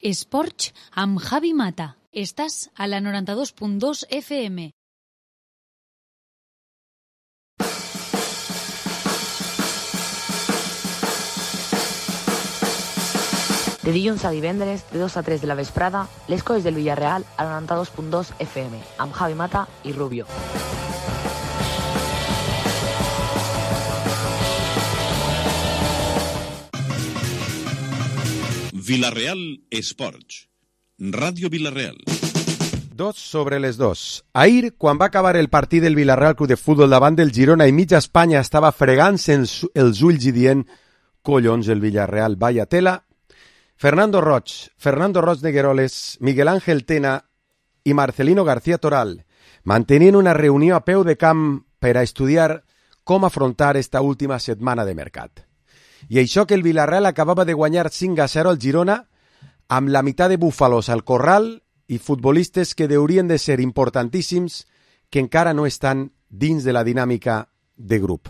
Esports amb Javi Mata. Estàs a la 92.2 FM. De dilluns a divendres, de 2 a 3 de la vesprada, les coses del Villarreal a la 92.2 FM, amb Javi Mata i Rubio. Villarreal Esports. Ràdio Villarreal. 2 sobre les 2. Ahir, quan va acabar el partit del Villarreal Club de Futbol davant del Girona i mitja Espanya estava fregant-se els ulls i dient collons, el Villarreal, vaya tela, Fernando Roig Negueroles, Miguel Ángel Tena i Marcelino García Toral mantenien una reunió a peu de camp per a estudiar com afrontar esta última setmana de mercat. I això que el Villarreal acabava de guanyar 5-0 al Girona amb la meitat de búfalos al corral i futbolistes que haurien de ser importantíssims que encara no estan dins de la dinàmica de grup.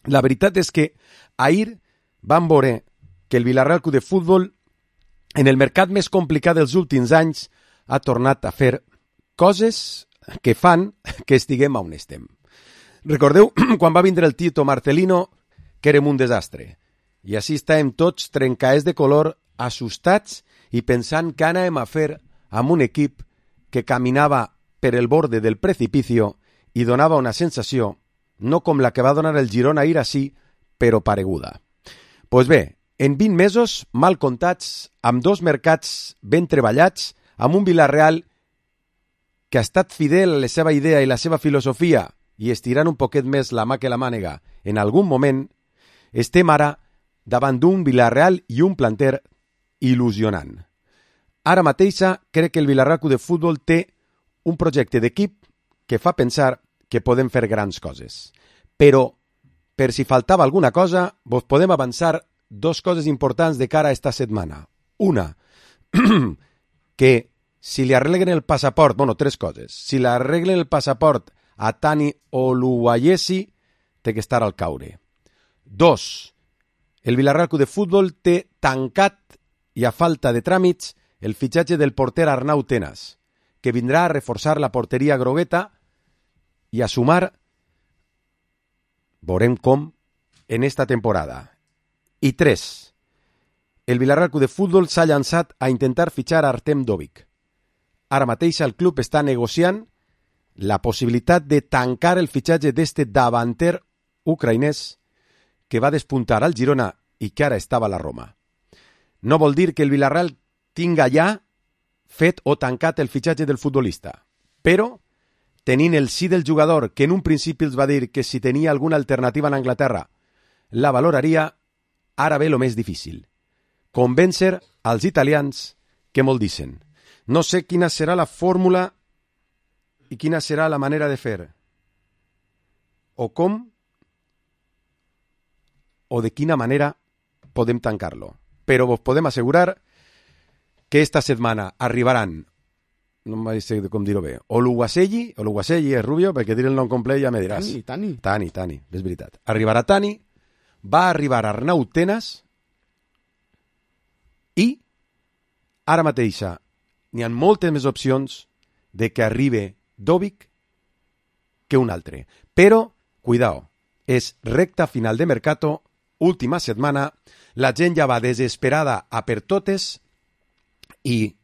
La veritat és que ahir vam veure que el Villarreal Club de Futbol, en el mercat més complicat dels últims anys, ha tornat a fer coses que fan que estiguem on estem. Recordeu quan va vindre el Tito Marcelino, que érem un desastre. I així estàvem tots trencaers de color, assustats i pensant què anàvem a fer amb un equip que caminava per el borde del precipicio i donava una sensació, no com la que va donar el Girona ahir així, però pareguda. Pues bé, en 20 mesos, mal comptats, amb 2 mercats ben treballats, amb un Villarreal que ha estat fidel a la seva idea i la seva filosofia i estirant un poquet més la mà que la mànega en algun moment, estem ara davant d'un Villarreal i un planter il·lusionant. Ara mateixa crec que el Villarreal Club de Futbol té un projecte d'equip que fa pensar que podem fer grans coses. Però, per si faltava alguna cosa, vos podem avançar 2 coses importants de cara a esta setmana. Una, que si li arreglen el passaport, 3 coses. Si li arreglen el passaport a Tani Oluwayesi, té que estar al caure. 2, el Villarreal Club de Futbol té tancat i a falta de tràmits el fitxatge del porter Arnau Tenas, que vindrà a reforçar la porteria grogueta i a sumar, veurem com, en esta temporada. I 3. El Villarreal Club de Futbol s'ha llançat a intentar fitxar Artem Dovik. Ara mateix el club està negociant la possibilitat de tancar el fitxatge d'este davanter ucraïnès que va despuntar al Girona i que ara estava a la Roma. No vol dir que el Villarreal tinga ja fet o tancat el fitxatge del futbolista, però tenint el sí del jugador, que en un principi els va dir que si tenia alguna alternativa en Anglaterra la valoraria, ara ve lo més difícil. Convèncer als italians que molt dicen. No sé quina serà la fórmula i quina serà la manera de fer. O com o de quina manera podem tancar-lo. Però vos podem assegurar que esta setmana arribaran, no em sé com dir-ho bé, Oluwayesi és Rubio, perquè dir el nom complet ja me diràs. Tani, és veritat. Arribarà Tani, va arribar Arnau Tenas i ara mateixa n'hi ha moltes més opcions de que arribi Dovik que un altre. Però, cuidao, és recta final de mercato, última setmana, la gent ja va desesperada a per totes i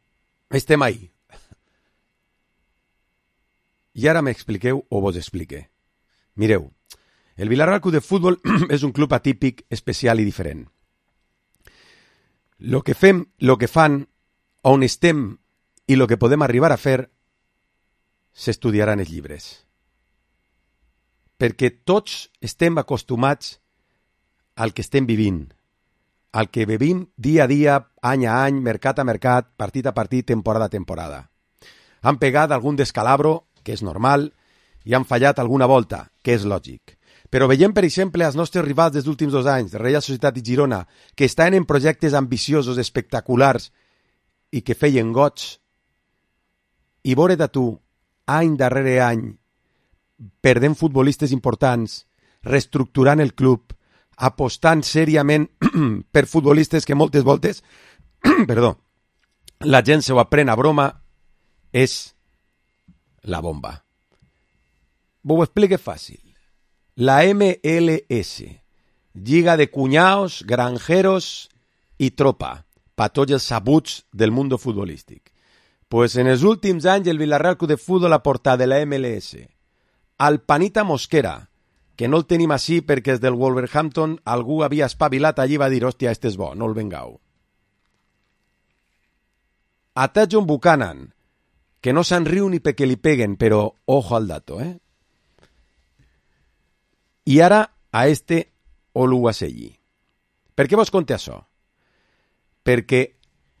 estem ahí. I ara m'expliqueu o vos explique. Mireu, el Villarreal Club de Futbol és un club atípic, especial i diferent. Lo que fem, lo que fan, on estem i lo que podem arribar a fer s'estudiarà en els llibres. Perquè tots estem acostumats al que estem vivint, al que vivim dia a dia, any a any, mercat a mercat, partit a partit, temporada a temporada. Han pegat algun descalabro, que és normal, i han fallat alguna volta, que és lògic. Però veiem, per exemple, els nostres rivals dels últims 2 anys, Reial Societat i Girona, que estan en projectes ambiciosos, espectaculars, i que feien goig, i veure de tu, any darrere any, perdent futbolistes importants, reestructurant el club, apostant sèriament per futbolistes que moltes voltes la gent se ho aprèn a broma, és la bomba. Ho explique fàcil. La MLS, Lliga de Cuñaos, Granjeros i Tropa, per tots els sabuts del món futbolístic. Pues en els últims anys el Villarreal Club de Fútbol ha portat de la MLS al Panita Mosquera, que no el tenim així perquè és del Wolverhampton, algú havia espavilat allí i va dir, hòstia, este és bo, no el vengau. A Tajon Buchanan, que no se'n riu ni perquè li peguen, però ojo al dato, I ara a este Oluwaseyi. Per què vos conté això? Perquè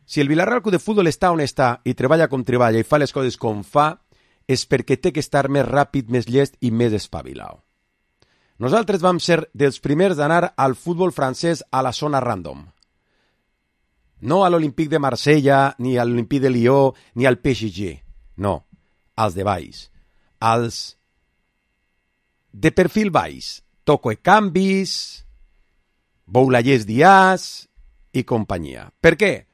si el Villarreal Club de Fútbol està on està i treballa com treballa i fa les coses com fa, és perquè té que estar més ràpid, més llest i més espavilat. Nosaltres vam ser dels primers d'anar al futbol francès a la zona random. No a l'Olympique de Marsella, ni a l'Olympique de Lió, ni al PSG. No, als de baix. Als de perfil baix. Toco e Canvis, Boulallers Díaz i companyia. Per què?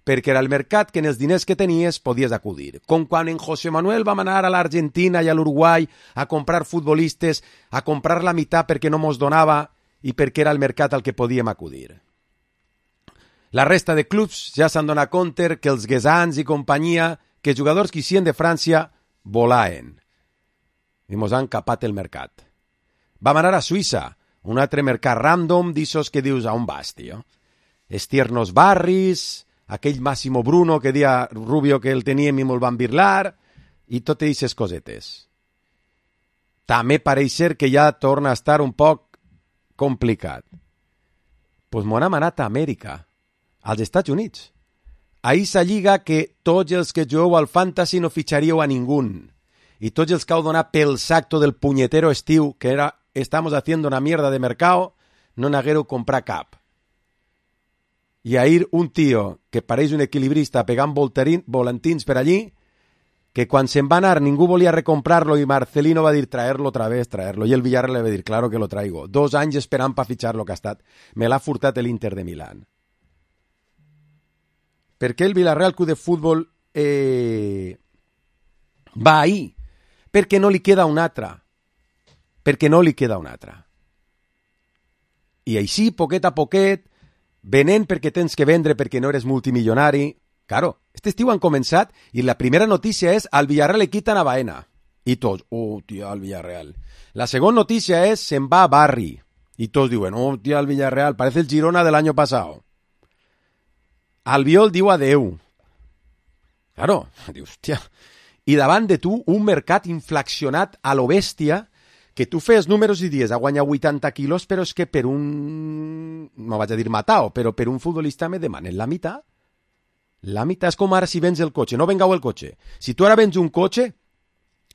Perquè era el mercat que en els diners que tenies podies acudir. Com quan en José Manuel vam anar a l'Argentina i a l'Uruguai a comprar futbolistes, a comprar la meitat perquè no mos donava i perquè era el mercat al que podíem acudir. La resta de clubs ja s'han donat compte que els guesans i companyia, que els jugadors que hicien de França volaen. I mos han capat el mercat. Vam anar a Suïssa, un altre mercat random d'issos que dius, a on vas, tio? Estiernos Barris, aquell Massimo Bruno que dia Rubio que el teníem i me'l van birlar, i totes aquestes cosetes. També pareix ser que ja torna a estar un poc complicat. Pues m'ho hem anat a Amèrica, als Estats Units. A aquesta lliga que tots els que jugueu al fantasy no fitxaríeu a ningú. I tots els que heu donat pel sacto del punyetero estiu, que era estamos haciendo una mierda de mercado, no n'haguereu comprar cap. I ahir un tio que pareix un equilibrista pegant volantins per allí, que quan se'n va anar ningú volia recomprar-lo i Marcelino va dir traerlo otra vez, traerlo. I el Villarreal le va dir, claro que lo traigo. 2 anys esperant per fitxar-lo que ha estat. Me l'ha furtat l'Inter de Milán. Per què el Villarreal Club de Fútbol va ahí? Perquè no li queda un altre. Perquè no li queda un altre. I així, poquet a poquet, venent perquè tens que vendre perquè no eres multimilionari. Claro, este estiu han començat i la primera notícia és al Villarreal le quitan a Baena. I tots, tia, al Villarreal. La segona notícia és se'n va a Barri. I tots diuen, tia, al Villarreal, parece el Girona del año pasado. Albiol diu adeu. Claro, dius, tia. I davant de tu, un mercat inflacionat a lo bèstia, que tu fes números i dies a guanyar 80 quilos, però és que per un, no vaig a dir matao, però per un futbolista me demanen la meitat. La meitat és com ara si vens el cotxe, no vengau el cotxe. Si tu ara vens un cotxe,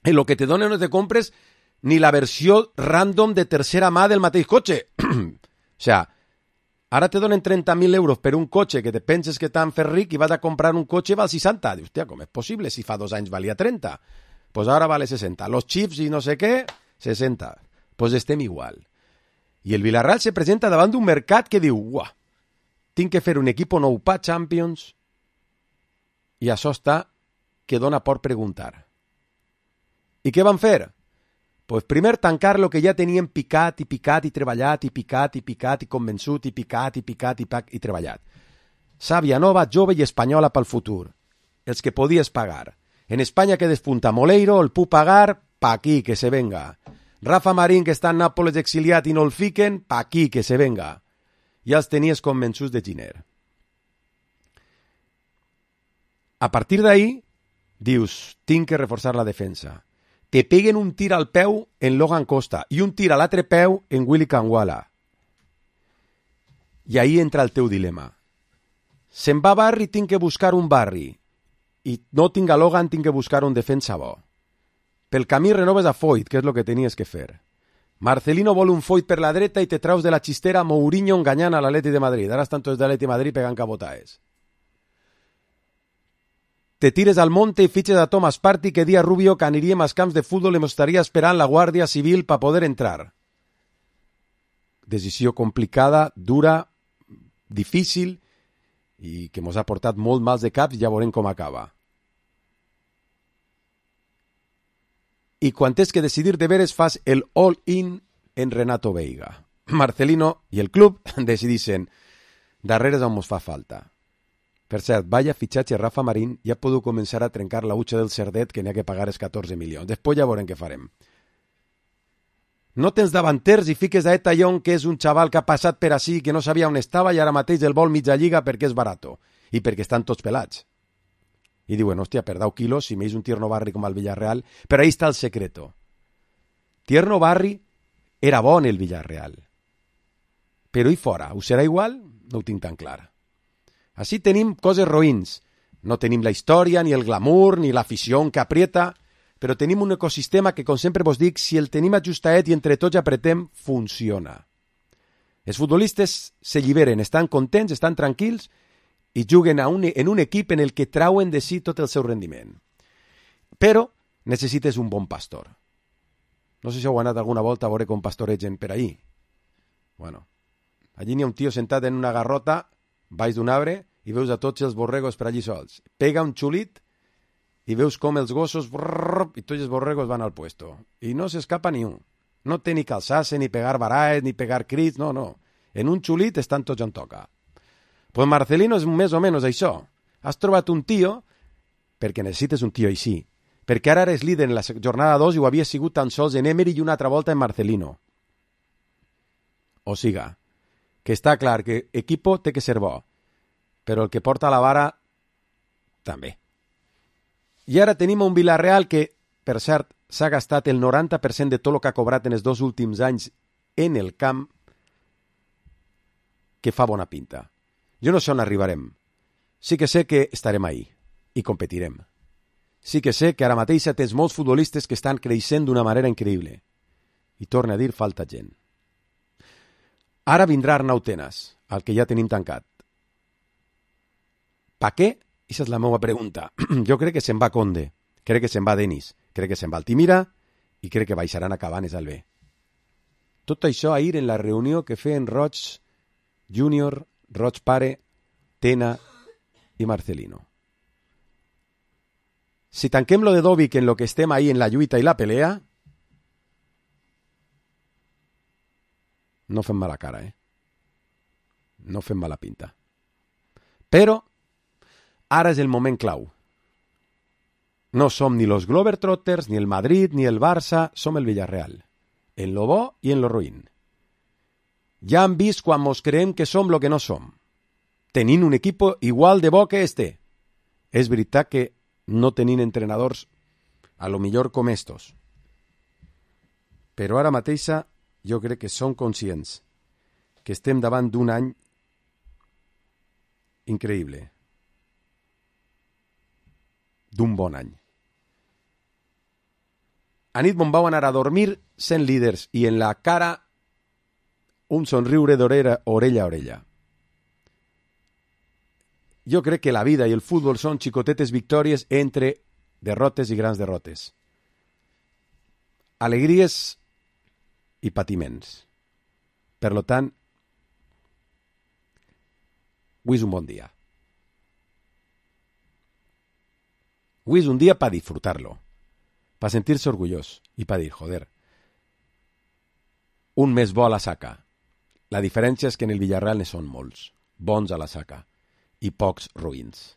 el que te donen no te compres ni la versió random de tercera mà del mateix cotxe. O sea, ara te donen 30.000 euros per un cotxe que te penses que t'han fet ric i vas a comprar un cotxe i val 60. Dius, hòstia, com és possible? Si fa 2 anys valia 30. Pues ara vale 60. Los chips i no sé què, 60. Pues estem igual. I el Villarreal se presenta davant d'un mercat que diu, uah, tinc que fer un equipo nou pa Champions, i això està que dona por preguntar. I què van fer? Pues primer tancar lo que ja tenien picat i treballat i picat i convençut i picat i treballat. Sàvia nova, jove i espanyola pel futur. Els que podies pagar. En Espanya que despunta Moleiro, el puc pagar, pa aquí, que se venga. Rafa Marín, que està en Nàpoles exiliat i no el fiquen, pa aquí, que se venga. Ja els tenies convençuts de Giner. A partir d'ahí, dius, tinc que reforçar la defensa. Te peguen un tir al peu en Logan Costa i un tir a l'altre peu en Willy Kangwala. I ahí entra el teu dilema. Se'n va a Barri, tinc que buscar un Barri. I no tinc a Logan, tinc que buscar un defensa bo. Pel camí renoves a Foyt, que és el que tenies que fer. Marcelino vol un Foyt per la dreta i te traus de la xistera Mourinho enganyant a l'Atleti de Madrid. Ara estan tots de l'Atleti de Madrid pegant cabotaes. Te tires al monte i fitxes a Thomas Partey que dia Rubio que aniríem als camps de futbol i m'estaria esperant la Guàrdia Civil per poder entrar. Decisió complicada, dura, difícil i que mos ha portat molt mals de caps, ja veurem com acaba. I quan tens que decidir de veres fas el all-in en Renato Veiga. Marcelino i el club decidixen darrere on mos fa falta. Per cert, vaya fitxatge Rafa Marín, ja podeu començar a trencar la utxa del Cerdet que n'hi ha que pagar els 14 milions. Després ja veurem què farem. No tens davanters i fiques a Eta Young, que és un xaval que ha passat per ací, que no sabia on estava i ara mateix el vol mitja lliga perquè és barato i perquè estan tots pelats. I diuen, hòstia, per 10 quilos, si m'és un Tierno Barri com el Villarreal, però ahí està el secreto. Tierno Barri era bon el Villarreal, però i fora, ho serà igual? No ho tinc tan clar. Així tenim coses roïns. No tenim la història, ni el glamour, ni l'afició que aprieta, però tenim un ecosistema que, com sempre vos dic, si el tenim ajustadet i entre tots apretem, funciona. Els futbolistes s'alliberen, estan contents, estan tranquils i juguen en un equip en el que trauen de si tot el seu rendiment. Però necessites un bon pastor. No sé si heu anat alguna volta a veure com pastoregen per ahí. Bueno, allí n'hi ha un tio sentat en una garrota baix d'un arbre i veus a tots els borregos per allí sols. Pega un xulit i veus com els gossos i tots els borregos van al puesto. I no s'escapa ni un. No té ni calçar-se, ni pegar baraes, ni pegar crits, no. En un xulit estan tots on toca. Pues Marcelino és més o menys això. Has trobat un tio, perquè necessites un tio així, perquè ara eres líder en la jornada 2 i ho havia sigut tan sols en Emery i una altra volta en Marcelino. O siga, que està clar que equipo té que ser bo, però el que porta la vara també. I ara tenim un Villarreal que, per cert, s'ha gastat el 90% de tot el que ha cobrat en els 2 últims anys en el camp, que fa bona pinta. Jo no sé on arribarem. Sí que sé que estarem ahí i competirem. Sí que sé que ara mateix tens molts futbolistes que estan creixent d'una manera increïble. I torna a dir, falta gent. Ara vindrà Arnau Tenas, el que ja tenim tancat. Pa què? Aquesta és la meva pregunta. Jo crec que se'n va Conde, crec que se'n va Denis, crec que se'n va Altimira i crec que baixaran a Cabanes al B. Tot això ahir en la reunió que feien Roig Júnior, Roig Pare, Tena i Marcelino. Si tanquem lo de Dovic en lo que estem ahí en la lluita i la pelea, no fem mala cara, No fem mala pinta. Però ara és el moment clau. No som ni los Globetrotters, ni el Madrid, ni el Barça, som el Villarreal. En lo bo i en lo ruïn. Ja han vist quan mos creem que som lo que no som. Tenint un equip igual de bo que este. És veritat que no tenint entrenadors a lo millor com estos. Però ara mateixa jo crec que som conscients que estem davant d'un any increïble. D'un bon any. A nit me'n vau anar a dormir sent líders i en la cara un somriure d'orella a orella. Jo crec que la vida i el futbol són xicotetes victòries entre derrotes i grans derrotes. Alegries i patiments. Per lo tant, avui és un bon dia. Avui és un dia para disfrutarlo, para sentirse orgullós i para dir, joder, un més bo a la saca. La diferència és que en el Villarreal ne són molts, bons a la saca, i pocs ruïns.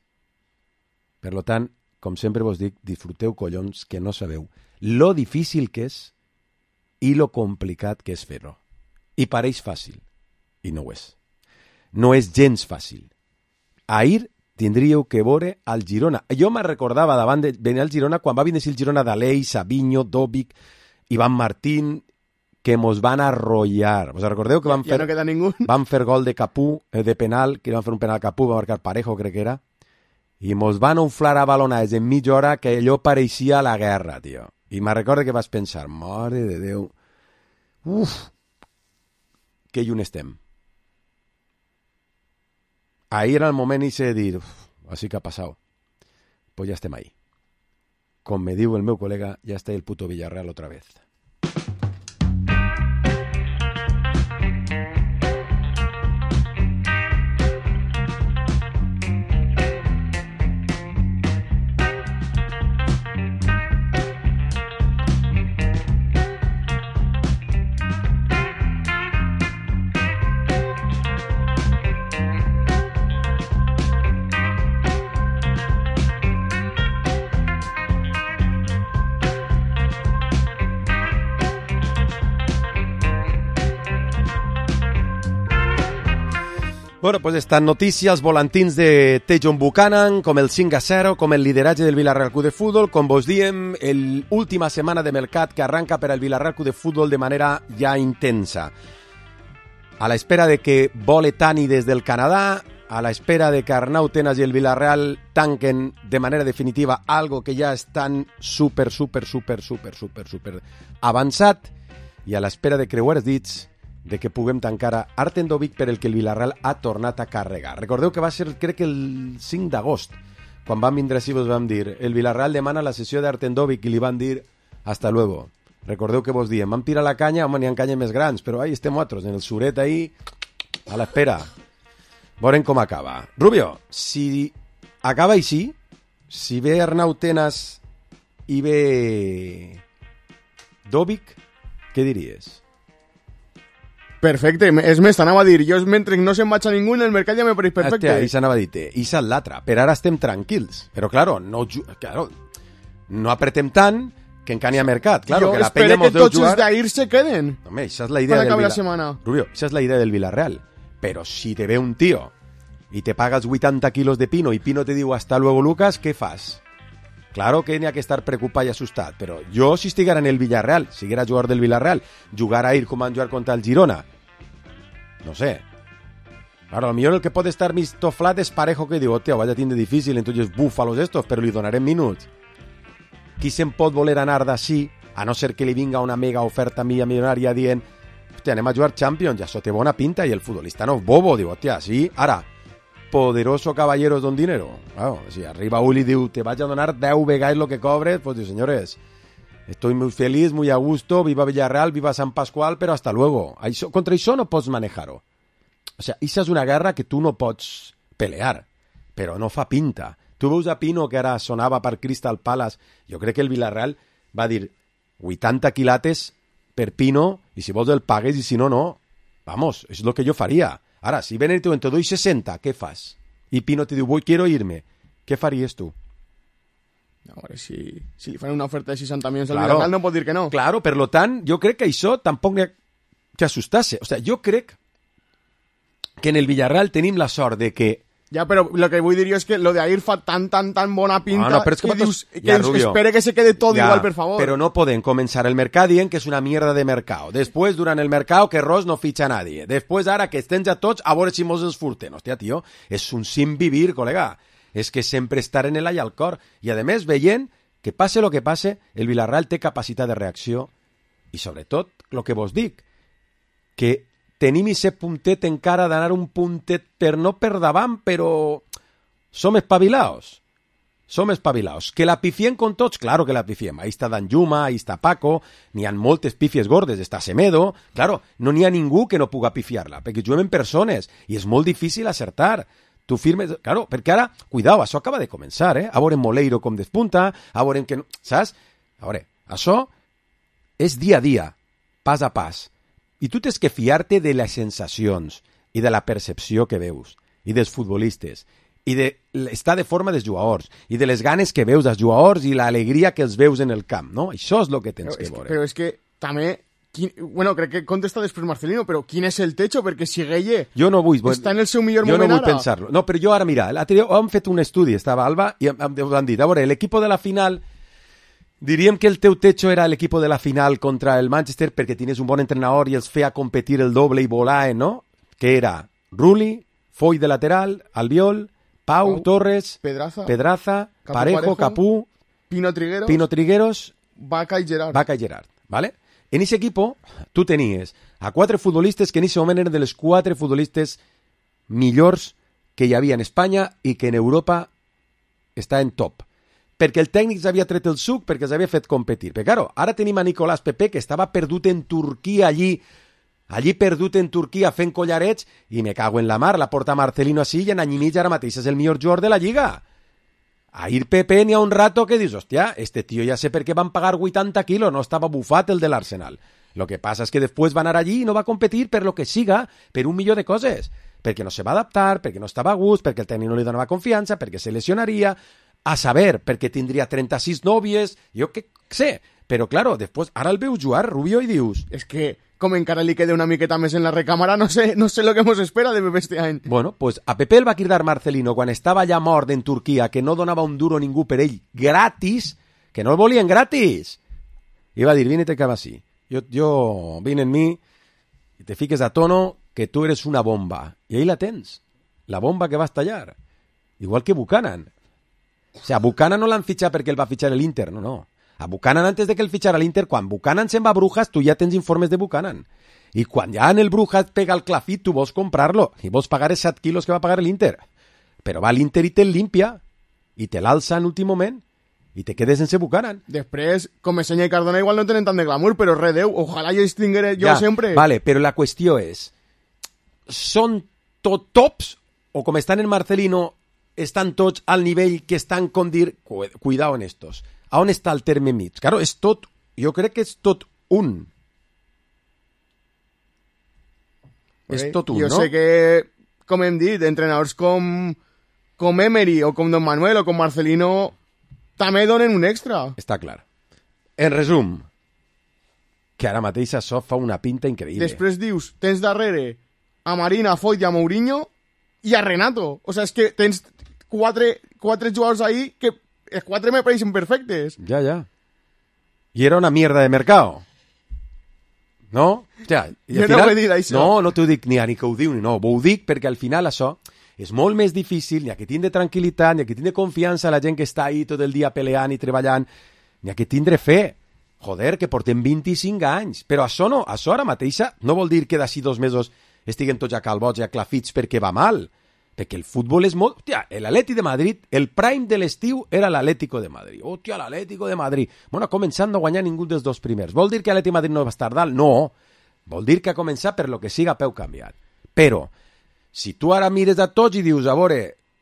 Per lo tant, com sempre vos dic, disfruteu collons que no sabeu lo difícil que és i lo complicat que és fer-ho. I pareix fàcil, i no ho és. No és gens fàcil. Ahir tindríeu que veure al Girona. Jo me recordava davant de venir al Girona quan va venir el Girona d'Alei, Savinho, Dovic, Iván Martín, que mos van arrollar. ¿Vos recordeu que van fer, no queda ningú? Van fer gol de Capú, de penal, que van fer un penal a Capú, va marcar Parejo, crec que era, i mos van unflar a balonades en mitja hora que allò pareixia la guerra, tio. I me recordo que vas pensar, mare de Déu, que lluny estem. Ahí era el moment de dir, així que ha passat. Pues ja estem ahí. Com me diu el meu col·lega, ja està el puto Villarreal otra vez. Bueno, pues estan notícies, volantins de Tejon Buchanan, com el 5-0, com el lideratge del Villarreal Club de Futbol, com vos diem, l'última setmana de mercat que arranca per al Villarreal Club de Futbol de manera ja intensa. A la espera de que vole Tani des del Canadà, a la espera de que Arnau Tenas i el Villarreal tanquen de manera definitiva algo que ja estan super avançat, i a l'espera de creuar els dits de que puguem tancar a Artem Dovbyk per el que el Villarreal ha tornat a carregar. Recordeu que va ser, crec que el 5 d'agost, quan vam vindre així vos vam dir el Villarreal demana la sessió d'Artem Dovbyk i li van dir hasta luego. Recordeu que vos diem, vam tirar la canya, home, n'hi ha canyes més grans, però ahí estem otros, en el suret ahí, a l'espera. Veurem com acaba. Rubio, si acaba així, si ve Arnau Tenas i ve Dovbyk, què diries? Perfecte, és més, t'anava a dir, jo mentre no se'n vaig a ningú en el mercat ja me pareix perfecte. Hòstia, això anava a dir-te, això és l'altre, per ara estem tranquils, però claro, no apretem tant que encara hi ha mercat, claro, jo que la penya mos deu jugar. Jo espero que tots els d'ahir se queden. Home, això és la idea del Villarreal. Rubio, això és la idea del Villarreal, però si te ve un tío i te pagas 80 kilos de Pino i Pino te diu hasta luego Lucas, què fas? Claro que n'hi ha que estar preocupat i assustat, però jo si estiguera en el Villarreal, si era jugador del Villarreal, jugar a ir com van jugar contra el Girona, no sé. Claro, a lo millor el que pot estar mig toflat és Parejo, que diu, hòstia, vaya tindre difícil, entonces búfalos estos, però li donarem minuts. Qui se'n pot voler anar d'ací, a no ser que li vinga una mega oferta milionària dient, hòstia, anem a jugar Champions, ja això té bona pinta, i el futbolista no és bobo, diu, hòstia, sí, ara, poderoso caballeros don dinero. Claro, si arriba Uli y diu, te vaig a donar 10 vegades lo que cobres, pues diu, señores, estoy muy feliz, muy a gusto, viva Villarreal, viva San Pascual, pero hasta luego. Contra això no pots manejar-ho. O sea, això és una guerra que tu no pots pelear, però no fa pinta. Tu veus a Pino, que ara sonava per Crystal Palace, jo crec que el Villarreal va dir 80 quilates per Pino, i si vols el pagues, i si no, no. Vamos, és el que jo faria. Ara, si ven el teu en te doy 60, què fas? I Pino te diu, quiero irme. Què faries tu? Ahora, si li fan una oferta de 60 milions al Villarreal, no pot dir que no. Claro, per lo tant, jo crec que això tampoc n'hi ha que assustar-se. O sea, jo crec que en el Villarreal tenim la sort de que... Ja, però lo que vull dir jo és que lo de Ahir fa tan bona pinta però és que dius, espere que se quede tot igual, per favor. Però no podem començar el mercat dient que és una mierda de mercat. Després, durant el mercat, que Ross no fitxa a nadie. Després, ara, que estem ja tots, a veure si mos els furten. Hòstia, tio, és un sin vivir, col·lega. És que sempre estar en l'all al cor. I, a més, veient que passe el que passe, el Villarreal té capacitat de reacció. I, sobretot, el que vos dic, que tenim aquest puntet encara d'anar un puntet no per davant, però som espavilaos. Som espavilaos. Que la pifiem con tots? Claro que la pifiem. Ahí està Danjuma, ahí està Paco, n'hi ha moltes pifies gordes, està Semedo. Claro, no n'hi ha ningú que no puga pifiar-la, perquè juguem en persones i és molt difícil acertar. Tu firmes... Claro, perquè ara, cuidao, això acaba de començar, eh? A veure Moleiro com despunta, a veure que... Saps? A veure, això és dia a dia, pas a pas. I tu tens que fiar-te de les sensacions i de la percepció que veus, i dels futbolistes, i de l'estat de forma dels jugadors, i de les ganes que veus dels jugadors i l'alegria que els veus en el camp, no? Això és el que tens que veure. Però és que també... Bueno, crec que contesta després Marcelino, però quin és el techo? Perquè si Gueye està en el seu millor moment ara... Jo no vull pensar-lo. No, però jo ara, mira, hem fet un estudi, estava Alba, i han dit, a veure, l'equip de la final... Diríem que el teu techo era l'equip de la final contra el Manchester perquè tenies un bon entrenador i els feia competir el doble i volar, no? Que era Rulli, Foy de lateral, Albiol, Pau, Torres, Pedraza, Parejo, Capú, Pino Trigueros, Vaca i Gerard. ¿Vale? En ese equipo tu tenies a 4 futbolistes que en ese moment eren de les 4 futbolistes millors que hi havia en Espanya i que en Europa està en top. Perquè el tècnic s'havia tret el suc, perquè s'havia fet competir. Però, claro, ara tenim a Nicolás Pepe, que estava perdut en Turquia allí perdut en Turquia fent collarets, i me cago en la mar, la porta Marcelino així, i en any i mig ara mateix és el millor jugador de la Lliga. Ahir Pepe n'hi ha un rato que dius, hòstia, este tio ja sé per què van pagar 80 quilos, no estava bufat el de l'Arsenal. Lo que passa és que després va anar allí i no va competir per lo que siga, per un milió de coses. Perquè no se va adaptar, perquè no estava a gust, perquè el tècnic no li donava confiança, perquè se lesionaria... A saber, perquè tindria 36 nòvies, jo què sé, Però, claro, després, ara el veus jugar, Rubio, i dius... És que, com encara li queda una miqueta més en la recàmera, no sé lo que mos espera de Pepe este any. Bueno, pues a Pepe el va cridar Marcelino quan estava ja mort en Turquia, que no donava un duro ningú per ell, gratis, que no el volien gratis. I va dir, vine te acaba así. Yo vine en mí y te fiques a tono que tú eres una bomba. Y ahí la tens, la bomba que va a estallar. Igual que Buchanan. O sea, Buchanan no l'han fitxat perquè el va fitxar l'Inter, no. A Buchanan, antes de que el fitxara l'Inter, quan Buchanan se'n va a Brujas, tu ja tens informes de Buchanan. I quan ja en el Brujas pega el clafit, tu vols comprar-lo i vols pagar els 7 quilos que va pagar l'Inter. Però va l'Inter i te'l limpia i te l'alça en últim moment i te quedes sense Buchanan. Després, Comesaña i Cardona igual no tenen tant de glamour, però redeu, ojalà jo extingueré jo sempre. Vale, però la qüestió és, són tot tops o com estan en Marcelino, estan tots al nivell que estan com dir, cuidao en estos. A on està el terme mig? Claro, és tot, jo crec que és tot un. És tot un, jo no? Jo sé que, com hem dit, entrenadors com Emery o com Don Manuel o com Marcelino també donen un extra. Està clar. En resum, que ara mateix això fa una pinta increïble. Després dius, tens darrere a Marina, a Foyt i a Mourinho i a Renato. O sea, és que tens quatre jugadors ahí que els 4 me pareixen perfectes. Ja. I era una mierda de mercado. No? Ja, i jo final, no ho he dit, això. No t'ho dic ni que ho diu ni no. Ho dic perquè al final això és molt més difícil, ni a que tindre tranquil·litat, ni a que tindre confiança a la gent que està ahí tot el dia peleant i treballant, ni a que tindre fe. Joder, que portem 25 anys. Però això no, això ara mateixa no vol dir que d'ací 2 mesos estiguen tots a calbots i a clafits perquè va mal. Perquè el futbol és molt... Hòstia, l'Atleti de Madrid, el prime de l'estiu era l'Atlético de Madrid. Hòstia, l'Atlético de Madrid. Bueno, ha començat no guanyar ningú dels 2 primers. Vol dir que l'Atleti de Madrid no va estar dalt? No. Vol dir que ha començat per lo que siga a peu canviat. Però, si tu ara mires a tots i dius, a veure,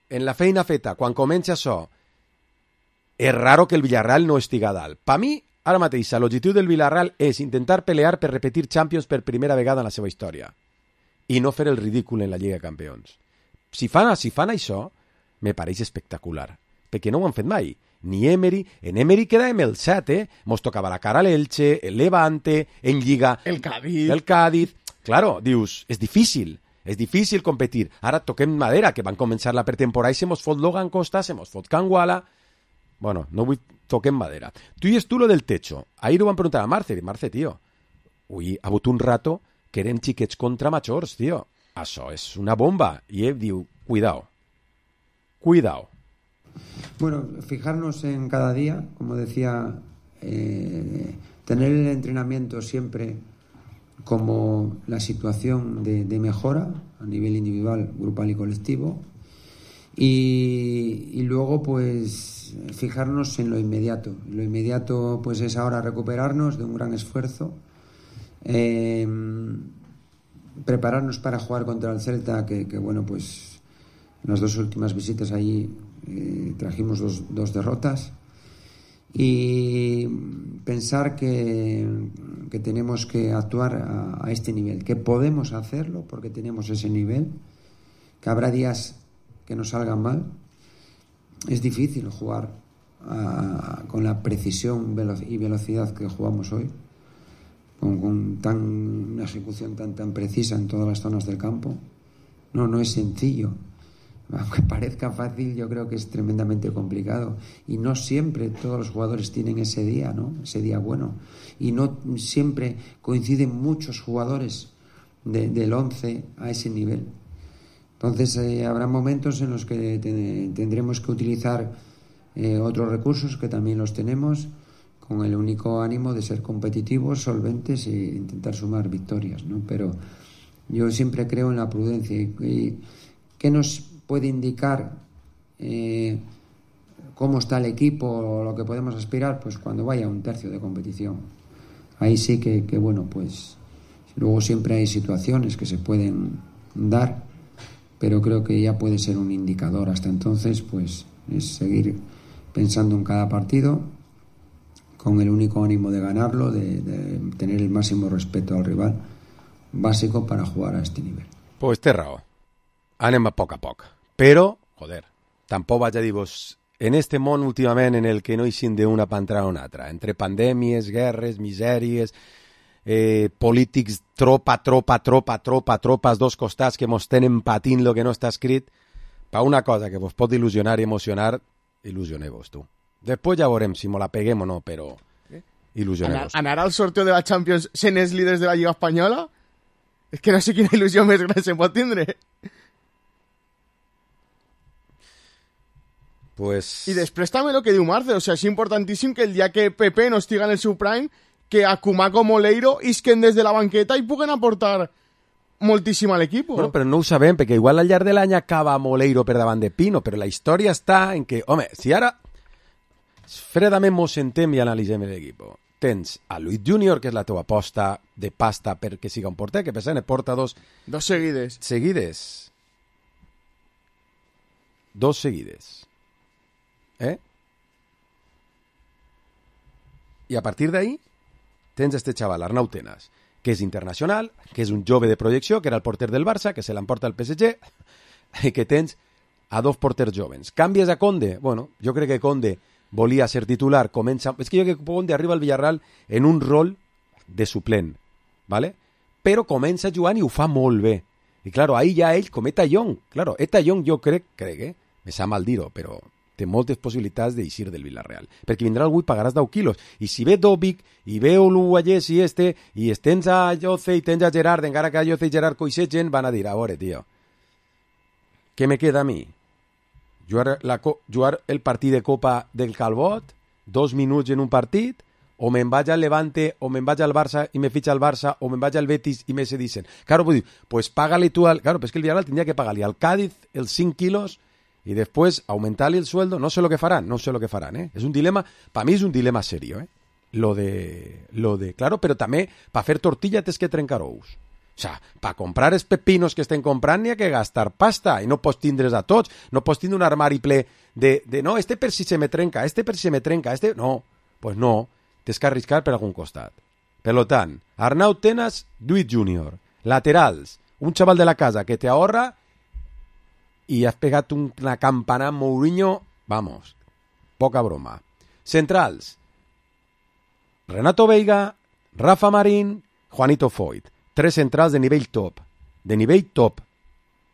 en la feina feta, quan comença això, és raro que el Villarreal no estiga dalt. Per mi, ara mateix, l'objectiu del Villarreal és intentar pelear per repetir Champions per primera vegada en la seva història. I no fer el ridícul en la Lliga de Campions. Si fan això, me pareix espectacular, perquè no ho han fet mai. Ni Emery, en Emery quedàvem el 7, mos tocava la cara a l'Elche, el Levante, en Lliga... El Cádiz. Claro, dius, és difícil competir. Ara toquem madera, que van començar la pretemporada i se mos fot Logan Costa, se mos fot Canguala... Bueno, no vull toquem madera. Tu dius tu lo del techo. Ahir ho van preguntar a Marce, tío, ui, ha hagut un rato que eren xiquets contra majors, tío. Això és una bomba. Y Ev diu, cuidado. Bueno, fijarnos en cada día, como decía, tener el entrenamiento siempre como la situación de mejora a nivel individual, grupal y colectivo. Y luego, pues, fijarnos en lo inmediato. Lo inmediato, pues, es ahora recuperarnos de un gran esfuerzo. Prepararnos para jugar contra el Celta, que bueno, pues en las 2 últimas visitas allí trajimos dos derrotas, y pensar que tenemos que actuar a este nivel, que podemos hacerlo porque tenemos ese nivel, que habrá días que nos salgan mal. Es difícil jugar con la precisión y velocidad que jugamos hoy, con una ejecución tan precisa en todas las zonas del campo. No es sencillo. Aunque parezca fácil, yo creo que es tremendamente complicado. Y no siempre todos los jugadores tienen ese día, ¿no? Ese día bueno. Y no siempre coinciden muchos jugadores del 11 a ese nivel. Entonces habrá momentos en los que tendremos que utilizar otros recursos, que también los tenemos, con el único ánimo de ser competitivos, solventes e intentar sumar victorias, ¿no? Pero yo siempre creo en la prudencia. ¿Qué nos puede indicar cómo está el equipo o lo que podemos aspirar? Pues cuando vaya un tercio de competición. Ahí sí que bueno, pues luego siempre hay situaciones que se pueden dar, pero creo que ya puede ser un indicador. Hasta entonces, pues es seguir pensando en cada partido, con el único ánimo de ganarlo, de tener el máximo respeto al rival, básico para jugar a este nivel. Pues té raó. Anem a poc. Però, joder, tampoc vaig a dir-vos en este món últimament en el que no hi sin d'una per entrar a una altra, entre pandèmies, guerres, misèries, polítics, tropa, als dos costats que mos tenen patint lo que no està escrit, per una cosa que vos pot il·lusionar i emocionar, il·lusioneu-vos, tu. Després ja veurem si me la peguem o no, però il·lusioneu-vos. Anar al sorteo de la Champions sent els líders de la Lliga Espanyola? És que no sé quina il·lusió més gran se pot tindre. Pues... I després també el que diu Marce, o sea, és importantíssim que el dia que Pepe no estiga en el seu prime, que a Koeman com Oleiro isquen des de la banqueta i puguen aportar moltíssim a l'equip. Bueno, però no ho sabem, perquè igual al llarg de l'any acaba Moleiro per davant de Pino, però la història està en que, home, si ara fredament mos sentem i analitzem l'equip, tens a Luis Junior, que és la teva aposta de pasta perquè siga un porter, que per cert porta dos seguides. Dos seguides. I a partir d'ahí tens este xaval, Arnau Tenas, que és internacional, que és un jove de projecció, que era el porter del Barça, que se l'emporta el PSG, i que tens a dos porters jovens. Canvies a Conde? Bueno, jo crec que Conde volia ser titular, comença... És que jo crec que Conde arriba al Villarreal en un rol de suplent, ¿vale? Però comença jugant i ho fa molt bé. I, claro, ahí ja ell, com Eta Young, claro, Eta Young jo crec, me sap mal dir-ho, però té moltes possibilitats d'eixir del Villarreal, perquè vindrà algú i pagaràs 10 quilos, i si ve Dobic, i ve Oluwayes i i tens a Jose i tens a Gerard, encara que a Jose i Gerard coixegen, van a dir, a veure, tio, què me queda a mi? Jugar el partit de Copa del Calbot, 2 minuts en un partit, o me'n vaig al Levante, o me'n vaig al Barça i me fitxa al Barça, o me'n vaig al Betis i me se dicen. Claro, pues, pues págale tú al... Claro, pues que el Villarreal tendría que pagarle al Cádiz els 5 quilos y después aumentarle el sueldo. No sé lo que farán, ¿eh? Es un dilema, para mí es un dilema serio, ¿eh? Lo de claro, però també per fer tortilla tens que trencar ous. O sea, per comprar els pepinos que estem comprant n'hi ha que gastar pasta i no pots tindre's a tots. No pots tindre un armari ple de no, per si se me trenca, per si se me trenca, No, pues no, tens que arriscar per algun costat. Per tant, Arnau Tenas, Luis Junior, laterals, un xaval de la casa que te ahorra y has pegat una campana Mourinho, vamos, poca broma. Centrals, Renato Veiga, Rafa Marín, Juanito Foyt. 3 centrals de nivell top,